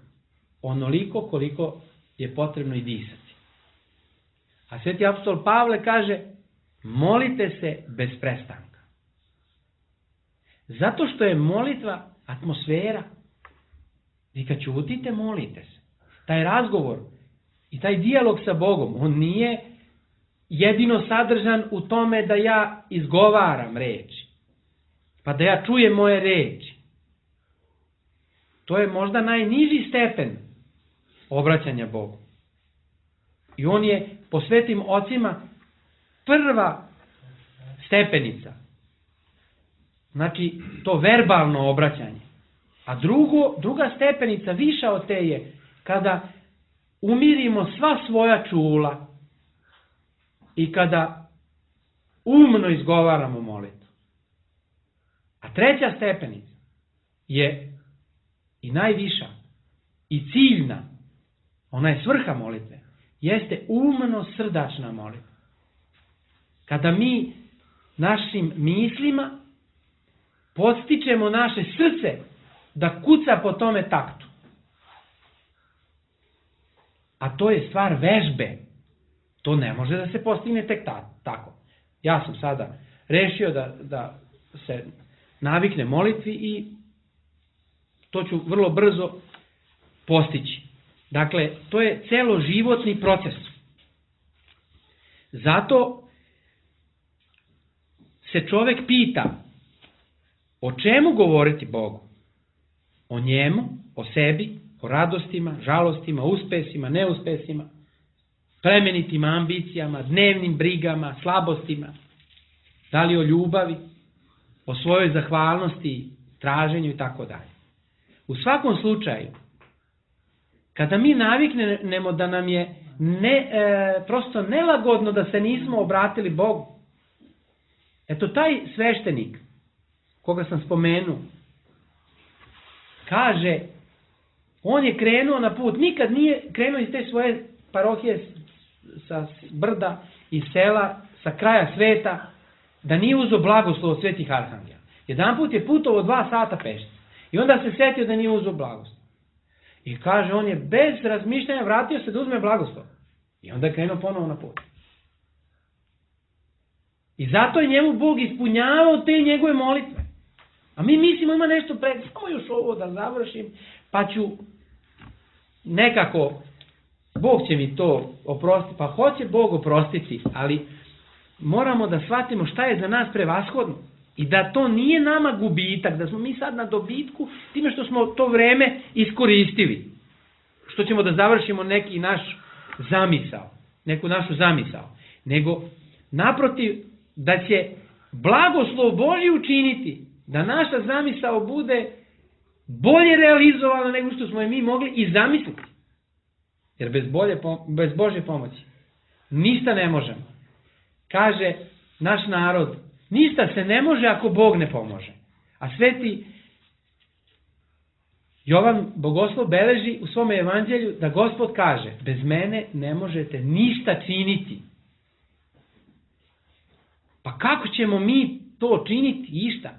Speaker 3: Onoliko koliko je potrebno i disati. A Sveti apostol Pavle kaže, molite se bez prestanka. Zato što je molitva atmosfera. Vi kad ćutite, molite se. Taj razgovor i taj dijalog sa Bogom, on nije jedino sadržan u tome da ja izgovaram reči, pa da ja čujem moje reči. To je možda najniži stepen obraćanja Bogu. I on je po svetim ocima prva stepenica. Znači, to verbalno obraćanje. A druga stepenica, viša od te je, kada umirimo sva svoja čula i kada umno izgovaramo molitvu. A treća stepenica je i najviša i ciljna, ona je svrha molitve, jeste umno srdačna molitva. Kada mi našim mislima podstičemo naše srce da kuca po tome taktu. A to je stvar vežbe. To ne može da se postigne tek tako. Ja sam sada rešio da se navikne molitvi i to ću vrlo brzo postići. Dakle, to je celoživotni proces. Zato se čovek pita o čemu govoriti Bogu? O njemu, o sebi, o radostima, žalostima, uspesima, neuspesima, plemenitim ambicijama, dnevnim brigama, slabostima, da li o ljubavi, o svojoj zahvalnosti, traženju i tako dalje. U svakom slučaju, kada mi naviknemo da nam je prosto nelagodno da se nismo obratili Bogu, eto taj sveštenik, koga sam spomenuo, kaže, on je krenuo na put, nikad nije krenuo iz te svoje parohije sa brda i sela, sa kraja sveta, da nije uzeo blagoslov od svetih arhangela. Jedan put je putovao 2 sata pešce i onda se setio da nije uzeo blagoslov. I kaže, on je bez razmišljanja vratio se da uzme blagoslov. I onda je krenuo ponovo na put. I zato je njemu Bog ispunjavao te njegove molitve. A mi mislimo ima nešto pred, samo još ovo da završim, pa ću nekako, Bog će mi to oprostiti, pa hoće Bog oprostiti, ali moramo da shvatimo šta je za nas prevashodno. I da to nije nama gubitak, da smo mi sad na dobitku time što smo to vreme iskoristili. Što ćemo da završimo neki naš zamisao, neku našu zamisao. Nego, naprotiv, da će blagoslov Božji učiniti da naša zamisao bude bolje realizovana nego što smo je mi mogli i zamisliti. Jer bez Božje pomoći ništa ne možemo. Kaže naš narod, ništa se ne može ako Bog ne pomože. A sveti Jovan Bogoslov beleži u svome evanđelju da Gospod kaže, bez mene ne možete ništa činiti. Pa kako ćemo mi to činiti išta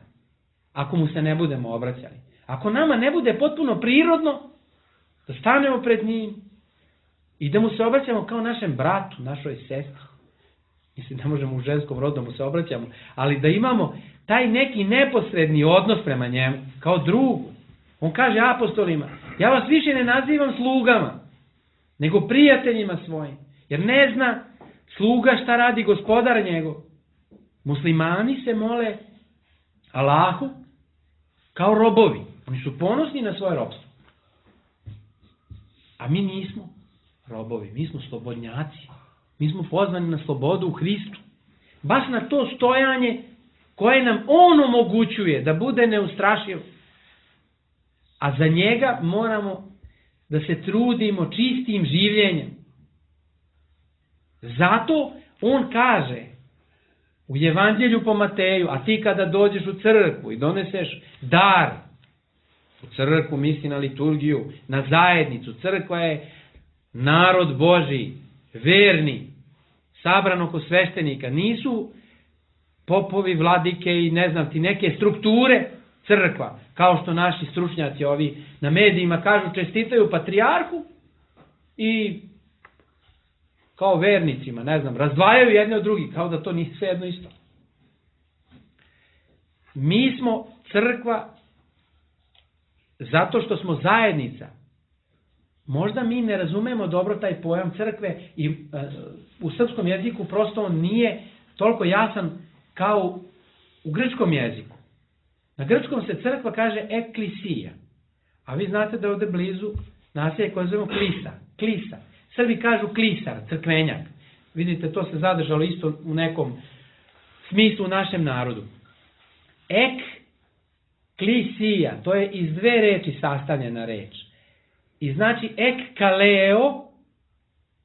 Speaker 3: ako mu se ne budemo obraćali? Ako nama ne bude potpuno prirodno da stanemo pred njim i da mu se obraćamo kao našem bratu, našoj sestri. Mislim, ne možemo u ženskom rodu mu se obraćamo, ali da imamo taj neki neposredni odnos prema njemu, kao drugu. On kaže apostolima, ja vas više ne nazivam slugama, nego prijateljima svojim. Jer ne zna sluga šta radi gospodar njegov. Muslimani se mole Allahu kao robovi. Oni su ponosni na svoje robstvo. A mi nismo. robovi, mi smo slobodnjaci. Mi smo pozvani na slobodu u Hristu. Baš na to stojanje koje nam on omogućuje da bude neustrašiv. A za njega moramo da se trudimo čistim življenjem. Zato on kaže u Evanđelju po Mateju, a ti kada dođeš u crkvu i doneseš dar, u crkvu misli na liturgiju, na zajednicu, crkva je narod Božji, verni, sabran oko sveštenika, nisu popovi, vladike i ne znam ti neke strukture crkva, kao što naši stručnjaci ovi na medijima kažu, čestitaju patrijarhu i kao vernicima, ne znam, razdvajaju jedne od drugih, kao da to nije sve jedno isto. Mi smo crkva zato što smo zajednica. Možda mi ne razumemo dobro taj pojam crkve i u srpskom jeziku prosto on nije toliko jasan kao u grčkom jeziku. Na grčkom se crkva kaže eklisija, a vi znate da je ovdje blizu naselje koje zovemo klisa. Srbi kažu klisar, crkvenjak. Vidite, to se zadržalo isto u nekom smislu u našem narodu. Eklisija, to je iz dve reči sastavljena reč. I znači ekkaleo,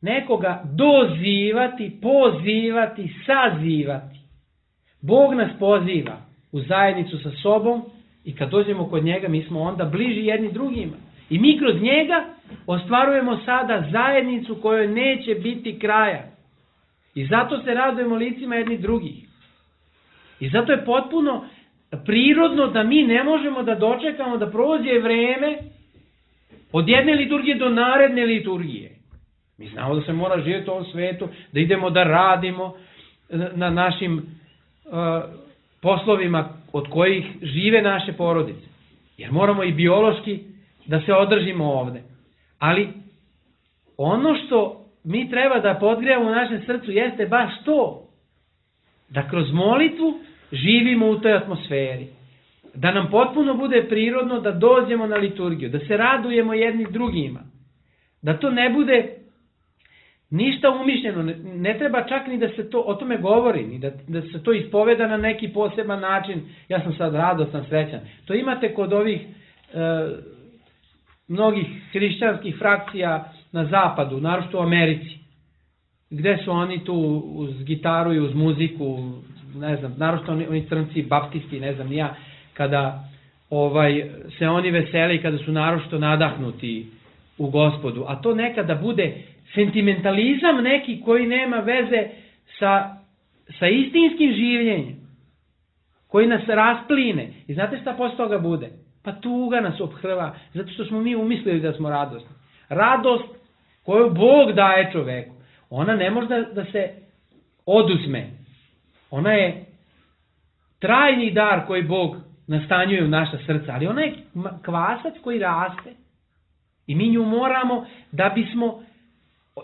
Speaker 3: nekoga dozivati, pozivati, sazivati. Bog nas poziva u zajednicu sa sobom i kad dođemo kod njega mi smo onda bliži jedni drugima. I mi kroz njega ostvarujemo sada zajednicu kojoj neće biti kraja. I zato se radujemo licima jednih drugih. I zato je potpuno prirodno da mi ne možemo da dočekamo da prođe vreme od jedne liturgije do naredne liturgije. Mi znamo da se mora živjeti u ovom svetu, da idemo da radimo na našim poslovima od kojih žive naše porodice. Jer moramo i biološki da se održimo ovde. Ali ono što mi treba da podgrijamo u našem srcu jeste baš to. Da kroz molitvu živimo u toj atmosferi. Da nam potpuno bude prirodno da dođemo na liturgiju. Da se radujemo jedni drugima. Da to ne bude ništa umišljeno. Ne treba čak ni da se to o tome govori. Ni da se to ispoveda na neki poseban način. Ja sam sad radostan, srećan. To imate kod ovih mnogih hrišćanskih frakcija na zapadu, naročito u Americi, gde su oni tu uz gitaru i uz muziku, ne znam, naročito oni crnci, baptisti, ne znam, ni ja, kada se oni vesele i kada su naročito nadahnuti u Gospodu. A to nekada bude sentimentalizam neki koji nema veze sa istinskim življenjem, koji nas raspline. I znate šta posle toga bude? Pa tuga nas ophrva, zato što smo mi umislili da smo radosni. Radost koju Bog daje čoveku, ona ne može da se oduzme. Ona je trajni dar koji Bog nastanjuje u naša srca, ali ona je kvasac koji raste. I mi nju moramo, da bismo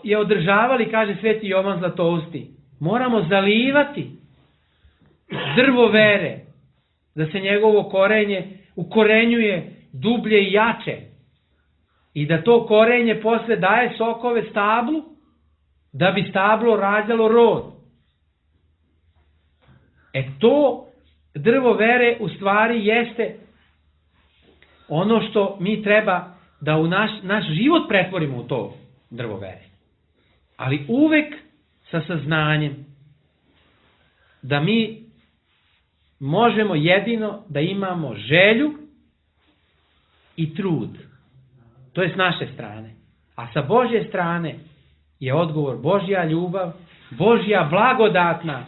Speaker 3: je održavali, kaže Sveti Jovan Zlatousti, moramo zalivati drvo vere, da se njegovo korenje ukorenjuje dublje i jače i da to korenje posle daje sokove stablu, da bi stablo rađalo rod. To drvo vere u stvari jeste ono što mi treba da u naš život pretvorimo u to drvo vere. Ali uvek sa saznanjem da mi možemo jedino da imamo želju i trud. To je s naše strane. A sa Božje strane je odgovor Božja ljubav, Božja blagodatna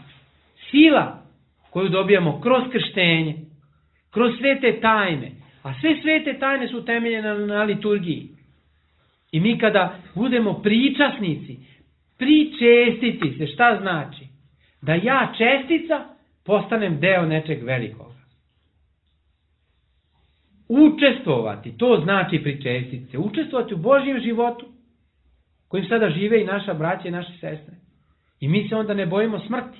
Speaker 3: sila koju dobijamo kroz krštenje, kroz svete tajne. A sve svete tajne su temeljene na liturgiji. I mi kada budemo pričasnici, pričestiti se, šta znači? Da ja čestica postanem deo nečeg velikoga. Učestvovati, to znači pričestiti se. Učestvovati u Božjem životu, kojim sada žive i naša braća i naše sestre. I mi se onda ne bojimo smrti.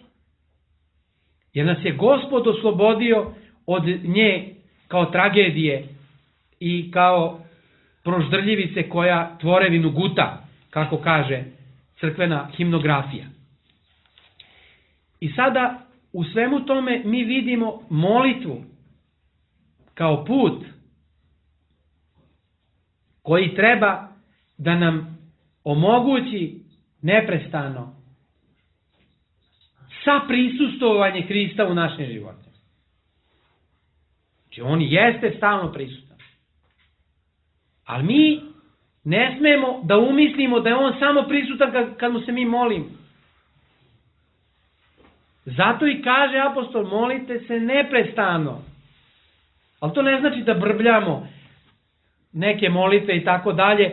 Speaker 3: Jer nas je Gospod oslobodio od nje kao tragedije i kao proždrljivice koja tvorevinu guta, kako kaže crkvena himnografija. I sada u svemu tome mi vidimo molitvu kao put koji treba da nam omogući neprestano saprisustvovanje Hrista u našim životima. Znači on jeste stalno prisutan. Ali mi ne smemo da umislimo da je on samo prisutan kad mu se mi molimo. Zato i kaže apostol, molite se neprestano. Ali to ne znači da brbljamo neke molitve i tako dalje,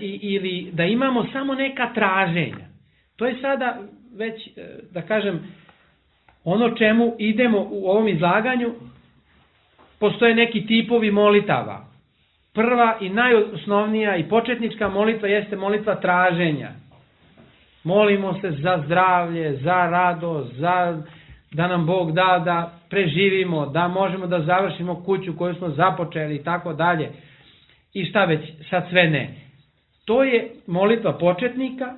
Speaker 3: ili da imamo samo neka traženja. To je sada već, da kažem, ono čemu idemo u ovom izlaganju. Postoje neki tipovi molitava. Prva i najosnovnija i početnička molitva jeste molitva traženja. Molimo se za zdravlje, za radost, da nam Bog da da preživimo, da možemo da završimo kuću koju smo započeli i tako dalje. I šta već, sad sve ne. To je molitva početnika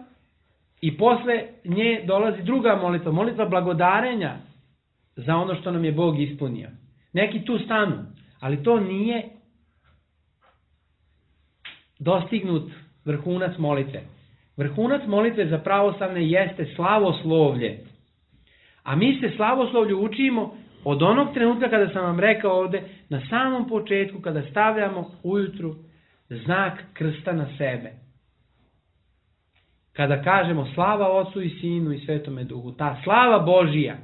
Speaker 3: i posle nje dolazi druga molitva, molitva blagodarenja za ono što nam je Bog ispunio. Neki tu stanu, ali to nije dostignut vrhunac molitve. Vrhunac molitve za pravoslavne jeste slavoslovlje. A mi se slavoslovlju učimo od onog trenutka kada sam vam rekao ovde, na samom početku, kada stavljamo ujutru znak krsta na sebe. Kada kažemo slava Otcu i Sinu i Svetome Duhu, ta slava Božija,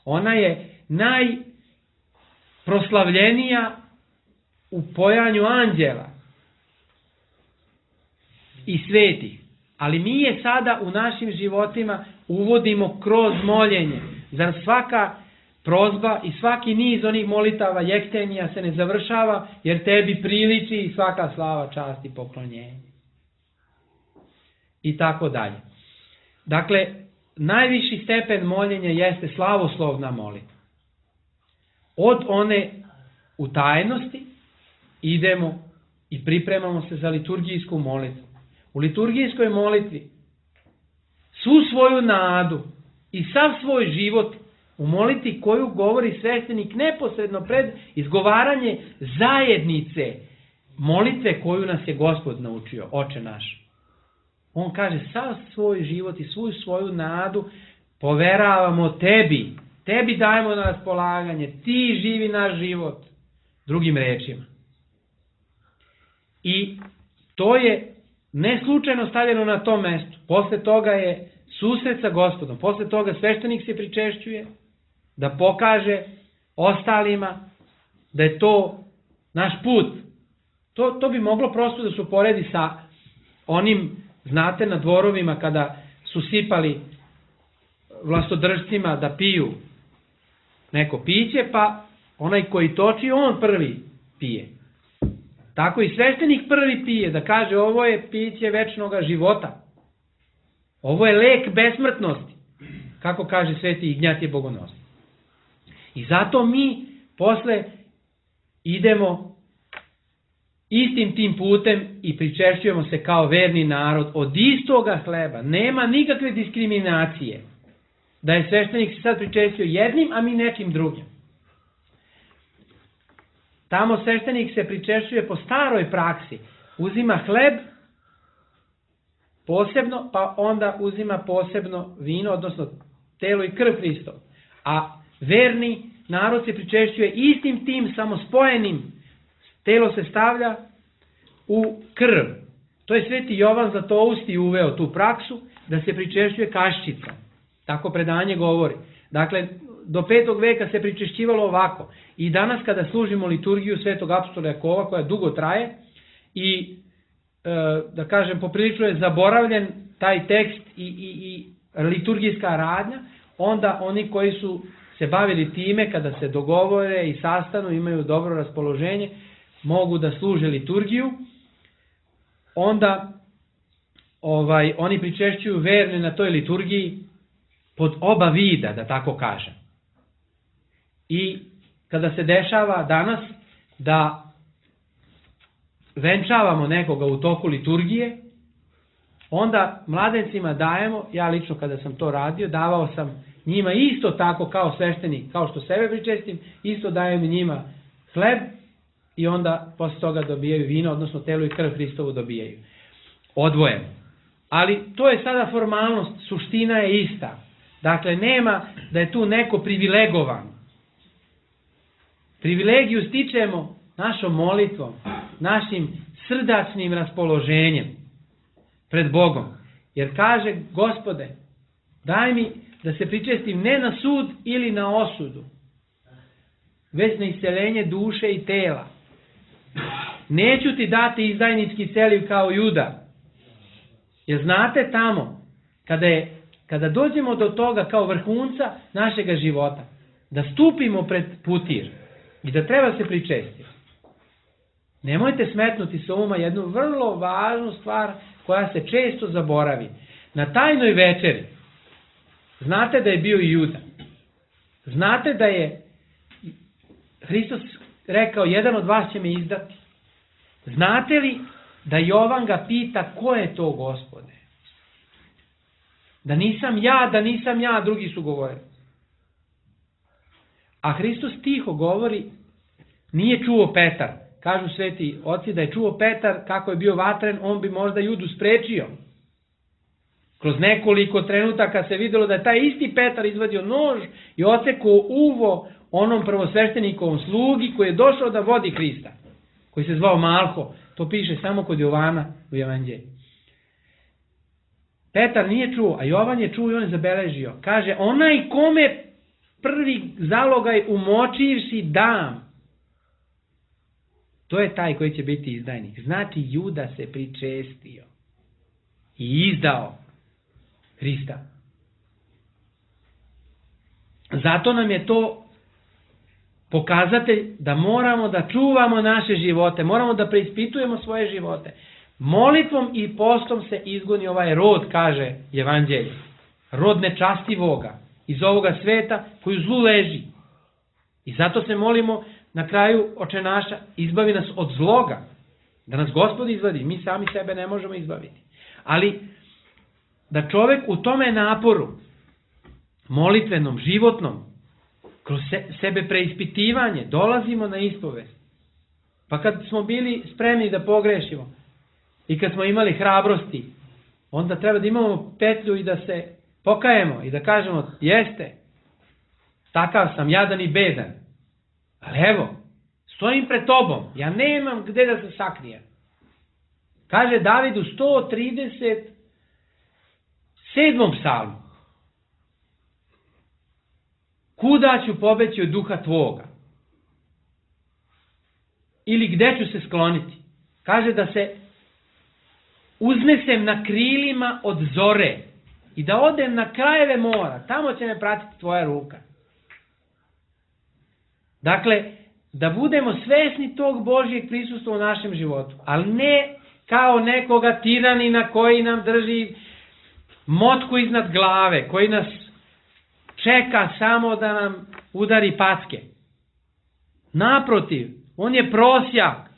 Speaker 3: ona je najproslavljenija u pojanju anđela i svetih. Ali mi je sada u našim životima uvodimo kroz moljenje. Zar svaka prozba i svaki niz onih molitava jektenija se ne završava, jer tebi priliči i svaka slava, čast i poklonjenje. I tako dalje. Dakle, najviši stepen moljenja jeste slavoslovna molitva. Od one u tajnosti idemo i pripremamo se za liturgijsku molitvu. U liturgijskoj molitvi svu svoju nadu i sav svoj život u molitvi koju govori sveštenik neposredno pred izgovaranje zajednice molitve koju nas je Gospod naučio, Oče naš. On kaže, sav svoj život i svu svoju nadu poveravamo tebi. Tebi dajemo na raspolaganje. Ti živi naš život. Drugim rečima. I to je ne slučajno stavljeno na tom mestu. Posle toga je susret sa Gospodom. Posle toga sveštenik se pričešćuje da pokaže ostalima da je to naš put. To bi moglo prosto da se uporedi sa onim, znate, na dvorovima kada su sipali vlastodržcima da piju neko piće, pa onaj koji toči, on prvi pije. Tako i sveštenik prvi pije, da kaže ovo je piće večnoga života. Ovo je lek besmrtnosti, kako kaže sveti Ignjatije Bogonosni. I zato mi posle idemo istim tim putem i pričešćujemo se kao verni narod od istoga hleba. Nema nikakve diskriminacije da je sveštenik se sad pričestio jednim, a mi nekim drugim. Tamo sveštenik se pričešćuje po staroj praksi. Uzima hleb posebno, pa onda uzima posebno vino, odnosno telo i krv Hristov. A verni narod se pričešćuje istim tim, samo spojenim. Telo se stavlja u krv. To je sveti Jovan Zlatousti uveo tu praksu da se pričešćuje kaščicom. Tako predanje govori. Dakle, do 5. veka se pričešćivalo ovako. I danas kada služimo liturgiju Svetog apostola Jakova, koja dugo traje i da kažem poprilično je zaboravljen taj tekst i liturgijska radnja, onda oni koji su se bavili time, kada se dogovore i sastanu, imaju dobro raspoloženje, mogu da služe liturgiju, onda oni pričešćuju verne na toj liturgiji pod oba vida, da tako kažem. I kada se dešava danas da venčavamo nekoga u toku liturgije, onda mladencima dajemo, ja lično kada sam to radio, davao sam njima isto tako kao sveštenik, kao što sebe pričestim, isto dajem njima hleb i onda posle toga dobijaju vino, odnosno telo i krv Hristovu dobijaju. Odvojeno. Ali to je sada formalnost, suština je ista. Dakle, nema da je tu neko privilegovan. Privilegiju stičemo našom molitvom, našim srdačnim raspoloženjem pred Bogom. Jer kaže, Gospode, daj mi da se pričestim ne na sud ili na osudu, već na isceljenje duše i tela. Neću ti dati izdajnički celiv kao Juda. Jer znate tamo, kada dođemo do toga kao vrhunca našega života, da stupimo pred putir i da treba se pričestiti. Nemojte smetnuti sa uma jednu vrlo važnu stvar koja se često zaboravi. Na tajnoj večeri znate da je bio i Juda. Znate da je Hristos rekao, jedan od vas će me izdati. Znate li da Jovan ga pita, ko je to, Gospode? Da nisam ja, drugi su govorili. A Hristos tiho govori, nije čuo Petar. Kažu sveti oci da je čuo Petar kako je bio vatren, on bi možda Judu sprečio. Kroz nekoliko trenutaka se vidjelo da je taj isti Petar izvadio nož i odsekao uvo onom prvosveštenikovom slugi koji je došao da vodi Hrista, koji se zvao Malho. To piše samo kod Jovana u Evanđelju. Petar nije čuo, a Jovan je čuo i on je zabeležio. Kaže, onaj kome prvi zalogaj umočivši dam, to je taj koji će biti izdajnik. Znači, Juda se pričestio i izdao Hrista. Zato nam je to pokazatelj da moramo da čuvamo naše živote, moramo da preispitujemo svoje živote. Molitvom i postom se izgoni ovaj rod, kaže Evanđelje. Rod nečastivoga iz ovoga sveta koji u zlu leži. I zato se molimo na kraju Oče naša, izbavi nas od zloga. Da nas Gospod izvadi, mi sami sebe ne možemo izbaviti. Ali da čovjek u tome naporu, molitvenom, životnom, kroz sebe preispitivanje, dolazimo na ispovest. Pa kad smo bili spremni da pogrešimo i kad smo imali hrabrosti, onda treba da imamo petlju i da se pokajemo i da kažemo, jeste, takav sam, jadan i bedan. Ali evo, stojim pred tobom, ja nemam gde da se sakrijem. Kaže David u 137. psalmu, kuda ću pobeći od duha tvoga? Ili gde ću se skloniti? Kaže da se uznesem na krilima od zore i da odem na krajeve mora, tamo će me pratiti tvoja ruka. Dakle, da budemo svesni tog Božjeg prisustva u našem životu, ali ne kao nekoga tiranina koji nam drži motku iznad glave, koji nas čeka samo da nam udari packe. Naprotiv, on je prosjak.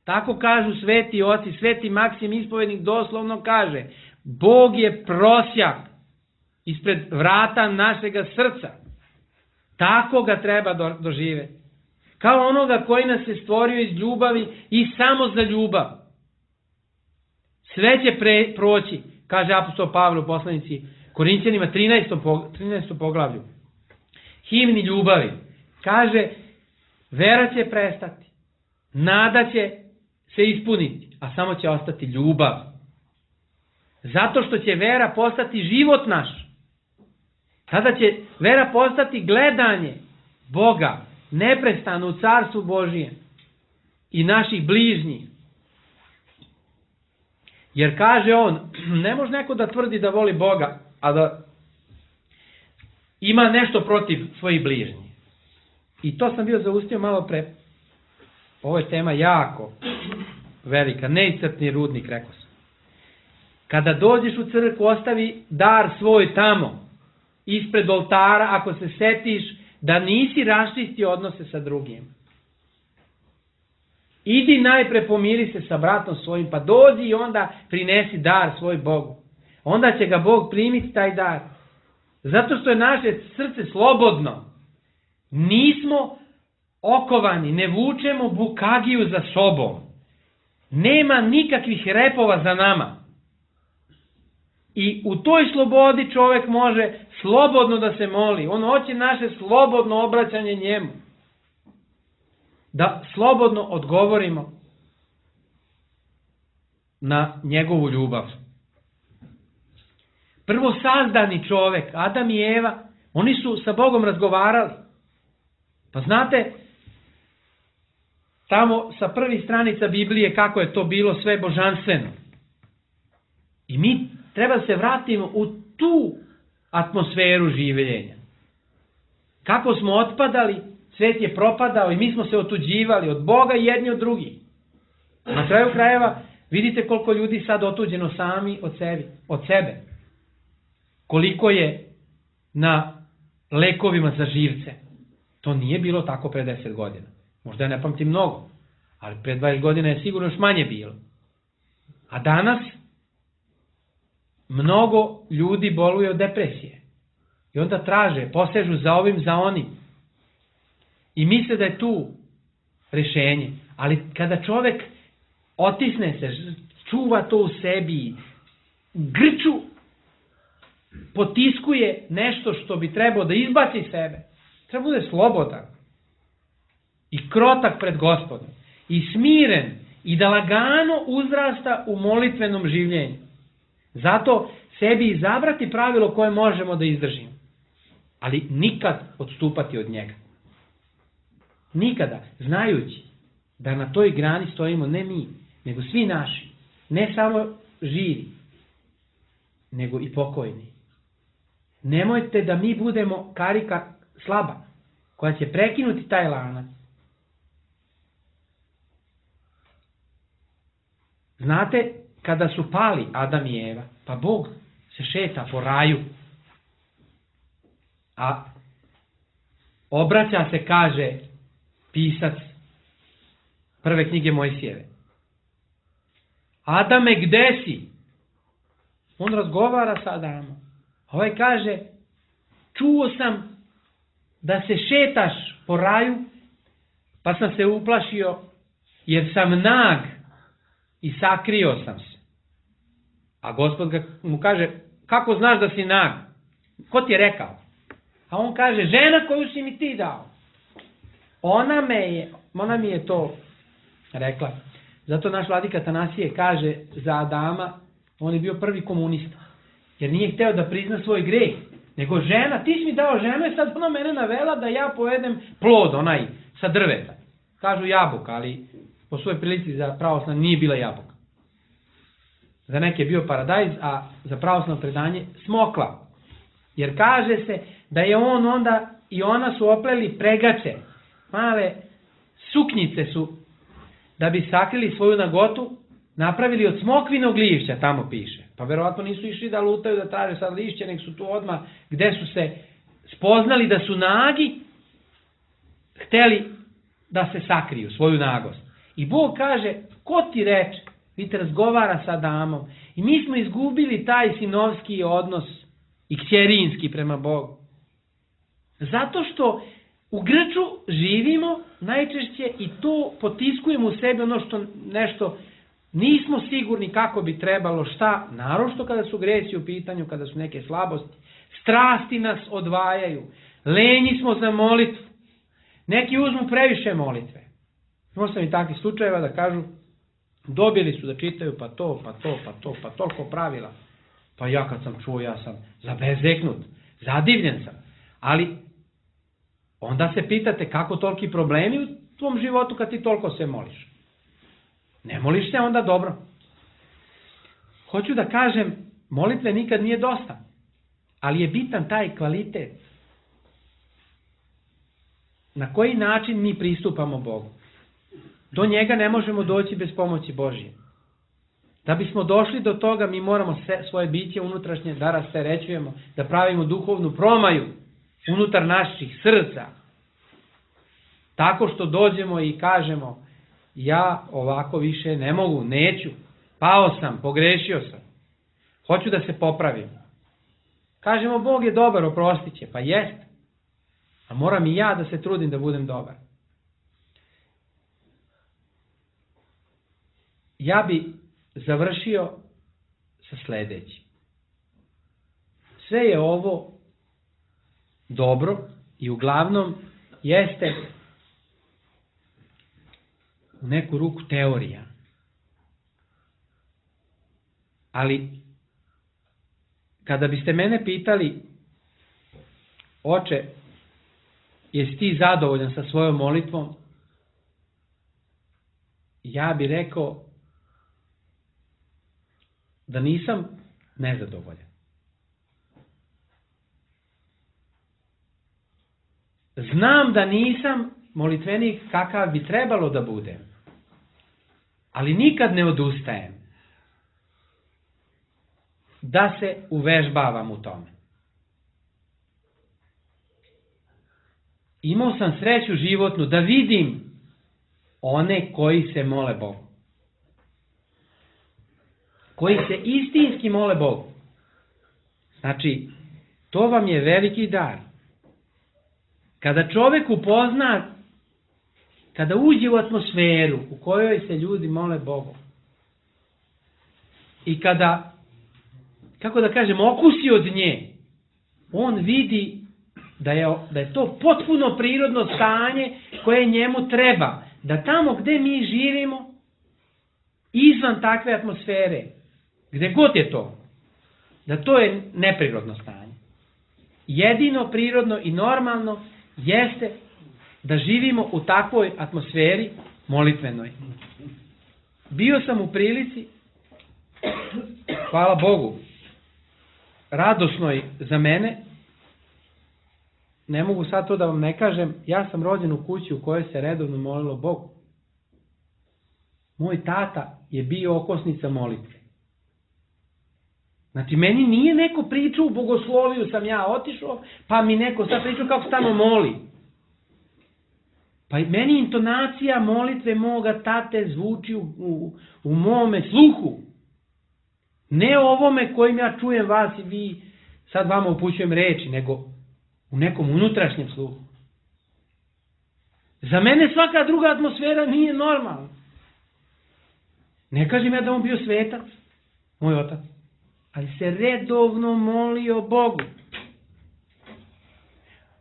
Speaker 3: Tako kažu sveti oci, sveti Maksim ispovednik doslovno kaže, Bog je prosjak ispred vrata našega srca. Tako ga treba doživjeti. Kao onoga koji nas je stvorio iz ljubavi i samo za ljubav. Sve će proći, kaže apostol Pavle u poslanici Korinćanima 13. poglavlju. Himni ljubavi. Kaže, vera će prestati, nada će se ispuniti, a samo će ostati ljubav. Zato što će vera postati život naš. Tada će vera postati gledanje Boga, neprestano u carstvu Božijem i naših bližnjih. Jer kaže on, ne može neko da tvrdi da voli Boga, a da ima nešto protiv svojih bližnjih. I to sam bio zaustio malo pre. Ovo je tema jako velika, neiscrpni rudnik, rekao sam. Kada dođeš u crkvu, ostavi dar svoj tamo, ispred oltara, ako se setiš da nisi raščistio odnose sa drugim. idi najpre pomiri se sa bratom svojim, pa dođi i onda prinesi dar svoj Bogu. Onda će ga Bog primiti taj dar. Zato što je naše srce slobodno. Nismo okovani, ne vučemo bukagiju za sobom. Nema nikakvih repova za nama. I u toj slobodi čovjek može slobodno da se moli. On hoće naše slobodno obraćanje njemu. Da slobodno odgovorimo na njegovu ljubav. Prvo sazdani čovjek, Adam i Eva, oni su sa Bogom razgovarali. Pa znate, tamo sa prvih stranica Biblije kako je to bilo sve božanstveno. I mi treba da se vratimo u tu atmosferu življenja. Kako smo otpadali, svet je propadao i mi smo se otuđivali od Boga i jedni od drugih. Na kraju krajeva vidite koliko ljudi sad otuđeno sami od sebe. Koliko je na lekovima za živce. To nije bilo tako pre 10 godina. Možda ja ne pamtim mnogo, ali pre 20 godina je sigurno još manje bilo. A danas mnogo ljudi boluje od depresije. I onda traže, posežu za ovim, za onim. I misle da je tu rešenje. Ali kada čovjek otisne se, čuva to u sebi, grču, potiskuje nešto što bi trebao da izbaci sebe, treba bude slobodan i krotak pred Gospodom i smiren i da lagano uzrasta u molitvenom življenju. Zato sebi izabrati pravilo koje možemo da izdržimo, ali nikad odstupati od njega. Nikada, znajući da na toj grani stojimo ne mi, nego svi naši, ne samo živi, nego i pokojni. Nemojte da mi budemo karika slaba, koja će prekinuti taj lanac. Znate, kada su pali Adam i Eva, pa Bog se šeta po raju, a obraća se, kaže pisac prve knjige Mojsijeve. Adame, gde si? On razgovara sa Adamom. Ovaj kaže, čuo sam da se šetaš po raju, pa sam se uplašio jer sam nag i sakrio sam se. A Gospod mu kaže, kako znaš da si nag? Ko ti je rekao? A on kaže, žena koju si mi ti dao. Ona mi je to rekla. Zato naš vladika Atanasije kaže za Adama, on je bio prvi komunista. Jer nije hteo da prizna svoj greh. Nego žena, ti si mi dao ženu i sad ona mene navela da ja pojedem plod, onaj sa drveta. Kažu jabuka, ali po svojoj prilici za pravoslavno nije bila jabuka. Za neke je bio paradajz, a za pravoslavno predanje smokva. Jer kaže se da je on onda i ona su opleli pregače. Male suknjice su, da bi sakrili svoju nagotu, napravili od smokvinog lišća, tamo piše. Pa verovatno nisu išli da lutaju, da traže sad lišće, nek su tu odmah gde su se spoznali da su nagi, hteli da se sakriju, svoju nagost. I Bog kaže, ko ti reče? Vidite, razgovara sa Adamom. I mi smo izgubili taj sinovski odnos i kćerinski prema Bogu. Zato što u grču živimo najčešće i to potiskujemo u sebi ono što nešto nismo sigurni kako bi trebalo, šta, naročito kada su gresi u pitanju, kada su neke slabosti. Strasti nas odvajaju. Lenji smo za molitvu. Neki uzmu previše molitve. Možda sam i takvih slučajeva da kažu, dobili su da čitaju pa toliko pravila. Pa ja kad sam čuo, ja sam zabezeknut, zadivljen sam. Ali onda se pitate kako toliki problemi u tvom životu kad ti toliko se moliš. Ne moliš se onda dobro. Hoću da kažem, molitve nikad nije dosta, ali je bitan taj kvalitet. Na koji način mi pristupamo Bogu? Do njega ne možemo doći bez pomoći Božje. Da bismo došli do toga, mi moramo svoje biće unutrašnje da rasterećujemo, da pravimo duhovnu promaju unutar naših srca. Tako što dođemo i kažemo, ja ovako više ne mogu, neću, pao sam, pogrešio sam, hoću da se popravim. Kažemo, Bog je dobar, oprostit će, pa jest, a moram i ja da se trudim da budem dobar. Ja bi završio sa sledećim. Sve je ovo dobro i uglavnom jeste u neku ruku teorija. Ali kada biste mene pitali, oče, jesi ti zadovoljan sa svojom molitvom? Ja bih rekao da nisam nezadovoljan. Znam da nisam molitvenik kakav bi trebalo da budem, ali nikad ne odustajem da se uvežbavam u tome. Imao sam sreću životnu da vidim one koji se mole Bogu. Koji se istinski mole Bogu. Znači, to vam je veliki dar. Kada čovek upozna, kada uđe u atmosferu u kojoj se ljudi mole Bogu i kada, kako da kažem, okusi od nje, on vidi da je to potpuno prirodno stanje koje njemu treba. Da tamo gde mi živimo, izvan takve atmosfere, gde god je to, da to je neprirodno stanje. Jedino prirodno i normalno jeste da živimo u takvoj atmosferi molitvenoj. Bio sam u prilici, hvala Bogu, radosnoj za mene, ne mogu sad to da vam ne kažem, ja sam rođen u kući u kojoj se redovno molilo Bogu. Moj tata je bio okosnica molitve. Znači, meni nije neko pričao, u bogosloviju sam ja otišao, pa mi neko sad pričao kako se tamo moli. Pa meni intonacija molitve moga tate zvuči u mome sluhu. Ne ovome kojim ja čujem vas i vi, sad vama upućujem reči, nego u nekom unutrašnjem sluhu. Za mene svaka druga atmosfera nije normalna. Ne kažem ja da on bio svetac, moj otac, ali se redovno molio Bogu.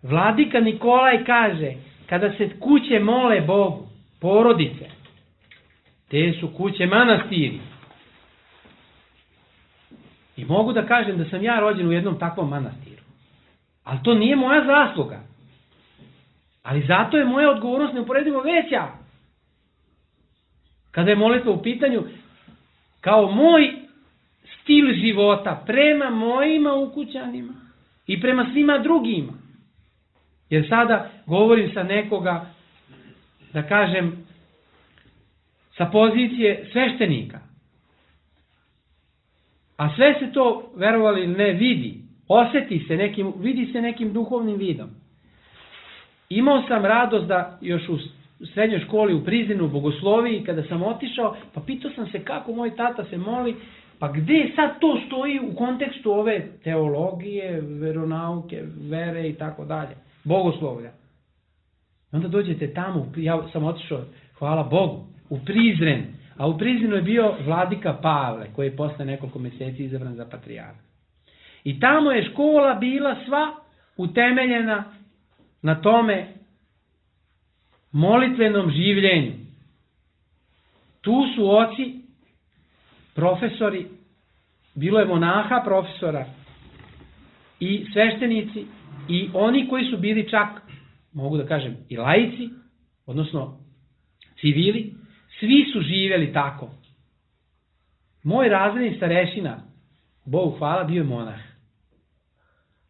Speaker 3: Vladika Nikolaj kaže, kada se kuće mole Bogu, porodice, te su kuće manastiri. I mogu da kažem da sam ja rođen u jednom takvom manastiru. Ali to nije moja zasluga. Ali zato je moja odgovornost neuporedivo veća. Kada je molitva u pitanju, kao moj stil života prema mojima ukućanima i prema svima drugima. Jer sada govorim sa nekoga, da kažem, sa pozicije sveštenika. A sve se to, verovali ili ne, vidi. Vidi se nekim duhovnim vidom. Imao sam radost da još u srednjoj školi u Prizrenu, u bogosloviji, kada sam otišao, pa pitao sam se kako moj tata se moli, pa gde sad to stoji u kontekstu ove teologije, veronauke, vere i tako dalje, bogoslovlja. Onda dođete tamo, ja sam otišao, hvala Bogu, u Prizren, a u Prizrenu je bio vladika Pavle, koji je posle nekoliko meseci izabran za patrijarha. I tamo je škola bila sva utemeljena na tome molitvenom življenju. Tu su oci, profesori, bilo je monaha profesora i sveštenici i oni koji su bili čak, mogu da kažem, i laici, odnosno civili, svi su živjeli tako. Moj razredni starešina, Bogu hvala, bio je monah,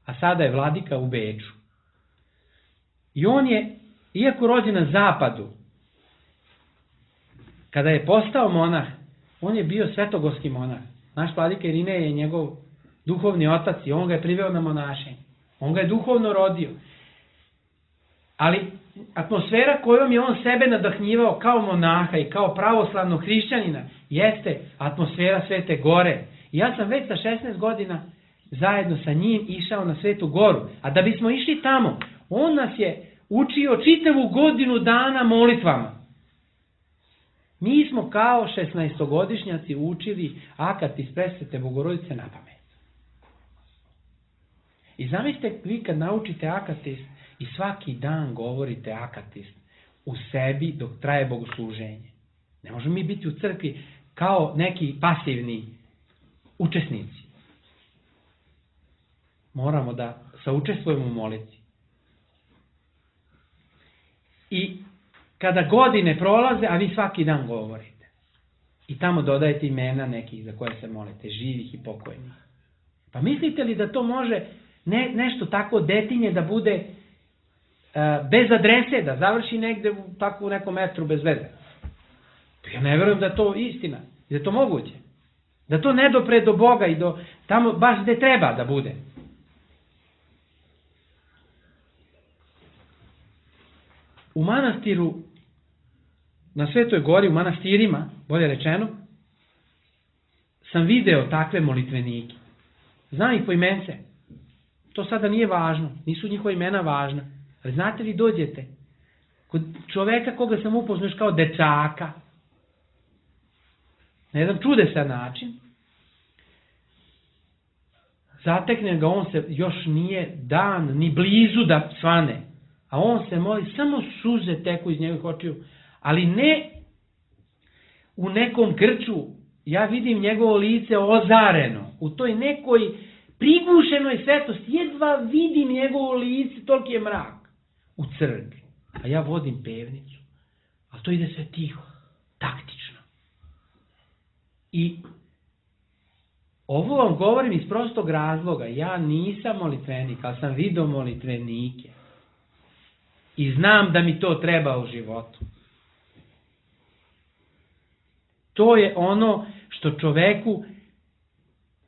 Speaker 3: a sada je vladika u Beču. I on je, iako rođen na zapadu, kada je postao monah, on je bio svetogorski monah. Naš vladika Irinej je njegov duhovni otac i on ga je priveo na monašenje. On ga je duhovno rodio. Ali atmosfera kojom je on sebe nadahnjivao kao monaha i kao pravoslavnog hrišćanina jeste atmosfera Svete Gore. I ja sam već sa 16 godina zajedno sa njim išao na Svetu Goru. A da bismo išli tamo, on nas je učio čitavu godinu dana molitvama. Mi smo kao 16-godišnjaci učili akatis Presvete Bogorodice na pamet. I zamislite vi kad naučite akatis i svaki dan govorite akatis u sebi dok traje bogosluženje. Ne možemo mi biti u crkvi kao neki pasivni učesnici. Moramo da saučestvujemo u molitvi. I kada godine prolaze, a vi svaki dan govorite. I tamo dodajete imena nekih za koje se molite, živih i pokojnih. Pa mislite li da to može nešto tako detinje da bude bez adrese, da završi negde tako u nekom metru bez veze? Ja ne verujem da je to istina, da je to moguće. Da to ne dopre do Boga i do tamo baš gde treba da bude. U manastiru, na Svetoj Gori, u manastirima, bolje rečeno, sam video takve molitvenike. Znam ih po imence. To sada nije važno, nisu njihova imena važna. Ali znate li, dođete kod čoveka koga sam upoznao kao dečaka, na jedan čudesan način, zatekne ga, on se još nije dan, ni blizu da svane, a on se moli, samo suze teku iz njegovih očiju, ali ne u nekom grču, ja vidim njegovo lice ozareno, u toj nekoj prigušenoj svetlosti, jedva vidim njegovo lice, toliki je mrak u crkvi, a ja vodim pevnicu, a to ide sve tiho, taktično. I ovo vam govorim iz prostog razloga, ja nisam molitvenik, ali sam vidio molitvenike. I znam da mi to treba u životu. To je ono što čoveku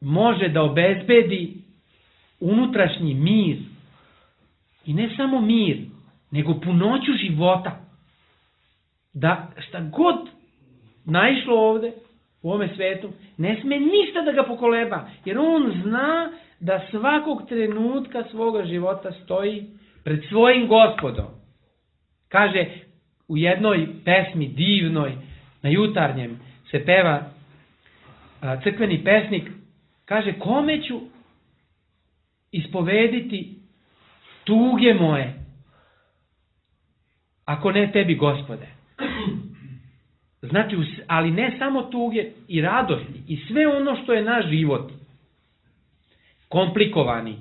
Speaker 3: može da obezbedi unutrašnji mir. I ne samo mir, nego punoću života. Da šta god naišlo ovde, u ovome svetu, ne sme ništa da ga pokoleba. Jer on zna da svakog trenutka svoga života stoji pred svojim Gospodom. Kaže u jednoj pesmi divnoj, na jutarnjem se peva crkveni pesnik, kaže, kome ću ispovediti tuge moje, ako ne tebi, Gospode. Znači, ali ne samo tuge, i radosti, i sve ono što je naš život komplikovani,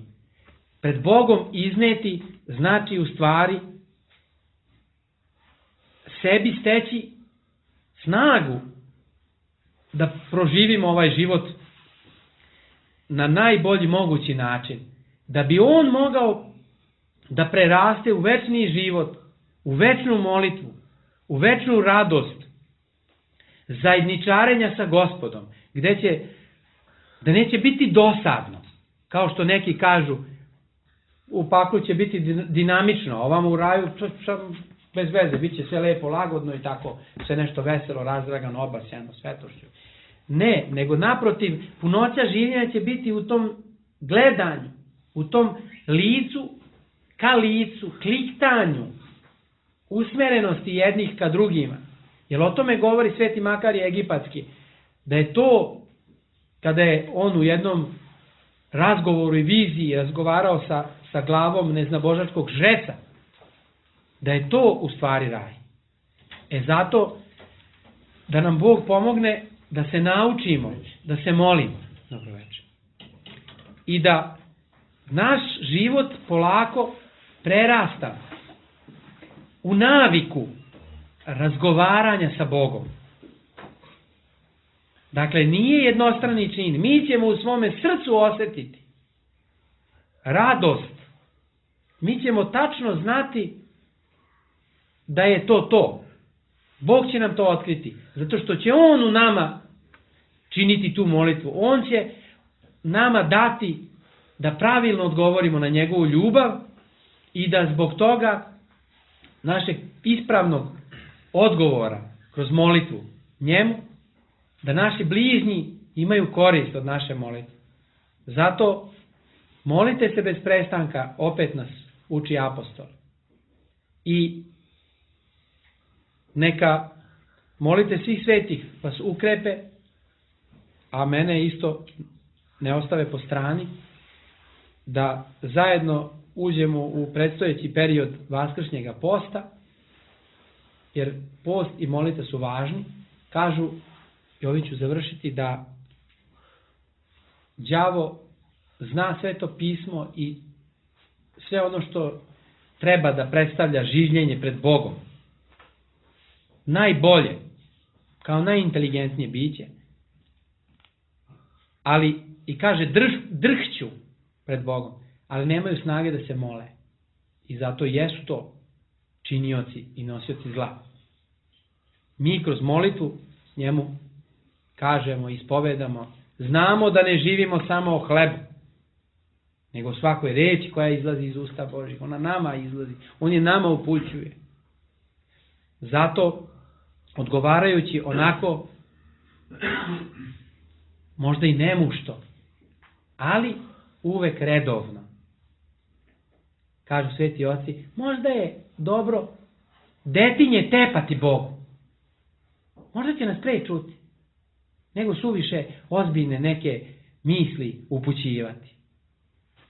Speaker 3: pred Bogom izneti, znači u stvari sebi steći snagu da proživimo ovaj život na najbolji mogući način. Da bi on mogao da preraste u večni život, u večnu molitvu, u večnu radost, zajedničarenja sa Gospodom, da neće biti dosadno, kao što neki kažu, u paklu će biti dinamično, a ovamo u raju bez veze, bit će sve lepo, lagodno i tako, sve nešto veselo, razdragano, obasjano, svetošću. Ne, nego naprotiv, punoća življenja će biti u tom gledanju, u tom licu ka licu, kliktanju, usmerenosti jednih ka drugima. Jer o tome govori Sveti Makarije Egipatski, da je to, kada je on u jednom razgovoru i viziji razgovarao sa glavom neznabožačkog žreca, da je to u stvari raj. Zato da nam Bog pomogne da se naučimo, da se molimo. Dobro večer. I da naš život polako prerasta u naviku razgovaranja sa Bogom. Dakle, nije jednostrani čin. Mi ćemo u svome srcu osjetiti radost. Mi ćemo tačno znati da je to. Bog će nam to otkriti. Zato što će On u nama činiti tu molitvu. On će nama dati da pravilno odgovorimo na njegovu ljubav i da zbog toga našeg ispravnog odgovora kroz molitvu njemu, da naši bližnji imaju korist od naše molitve. Zato molite se bez prestanka, opet nas uči apostol. I neka molite svih svetih vas ukrepe, a mene isto ne ostave po strani, da zajedno uđemo u predstojeći period vaskršnjega posta, jer post i molitva su važni. Kažu, i ovim ću završiti, da đavo zna Sveto pismo i sve ono što treba da predstavlja življenje pred Bogom. Najbolje, kao najinteligentnije biće, ali i kaže drhću pred Bogom, ali nemaju snage da se mole. I zato jesu to činioci i nosioci zla. Mi kroz molitvu njemu kažemo, ispovedamo, znamo da ne živimo samo o hlebu, nego o svakoj reči koja izlazi iz usta Božih. Ona nama izlazi, on je nama upućuje. Zato, odgovarajući onako, možda i nemušto, ali uvek redovno. Kažu sveti oci, možda je dobro detinje tepati Bogu. Možda će nas pre čuti, nego suviše ozbiljne neke misli upućivati.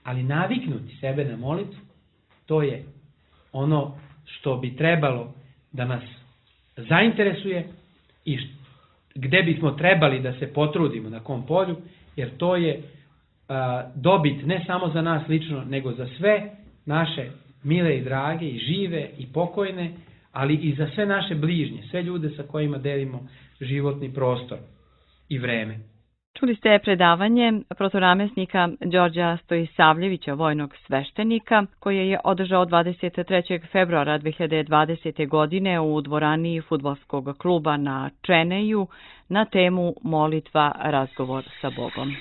Speaker 3: Ali naviknuti sebe na molitvu, to je ono što bi trebalo da nas zainteresuje i gde bismo trebali da se potrudimo, na kom polju, jer to je dobit ne samo za nas lično, nego za sve naše mile i drage i žive i pokojne, ali i za sve naše bližnje, sve ljude sa kojima delimo životni prostor i vreme.
Speaker 2: Čuli ste predavanje protonamesnika Đorđa Stojisavljevića, vojnog sveštenika, koje je održao 23. februara 2020. godine u dvorani fudbalskog kluba na Čeneju na temu Molitva, razgovor sa Bogom.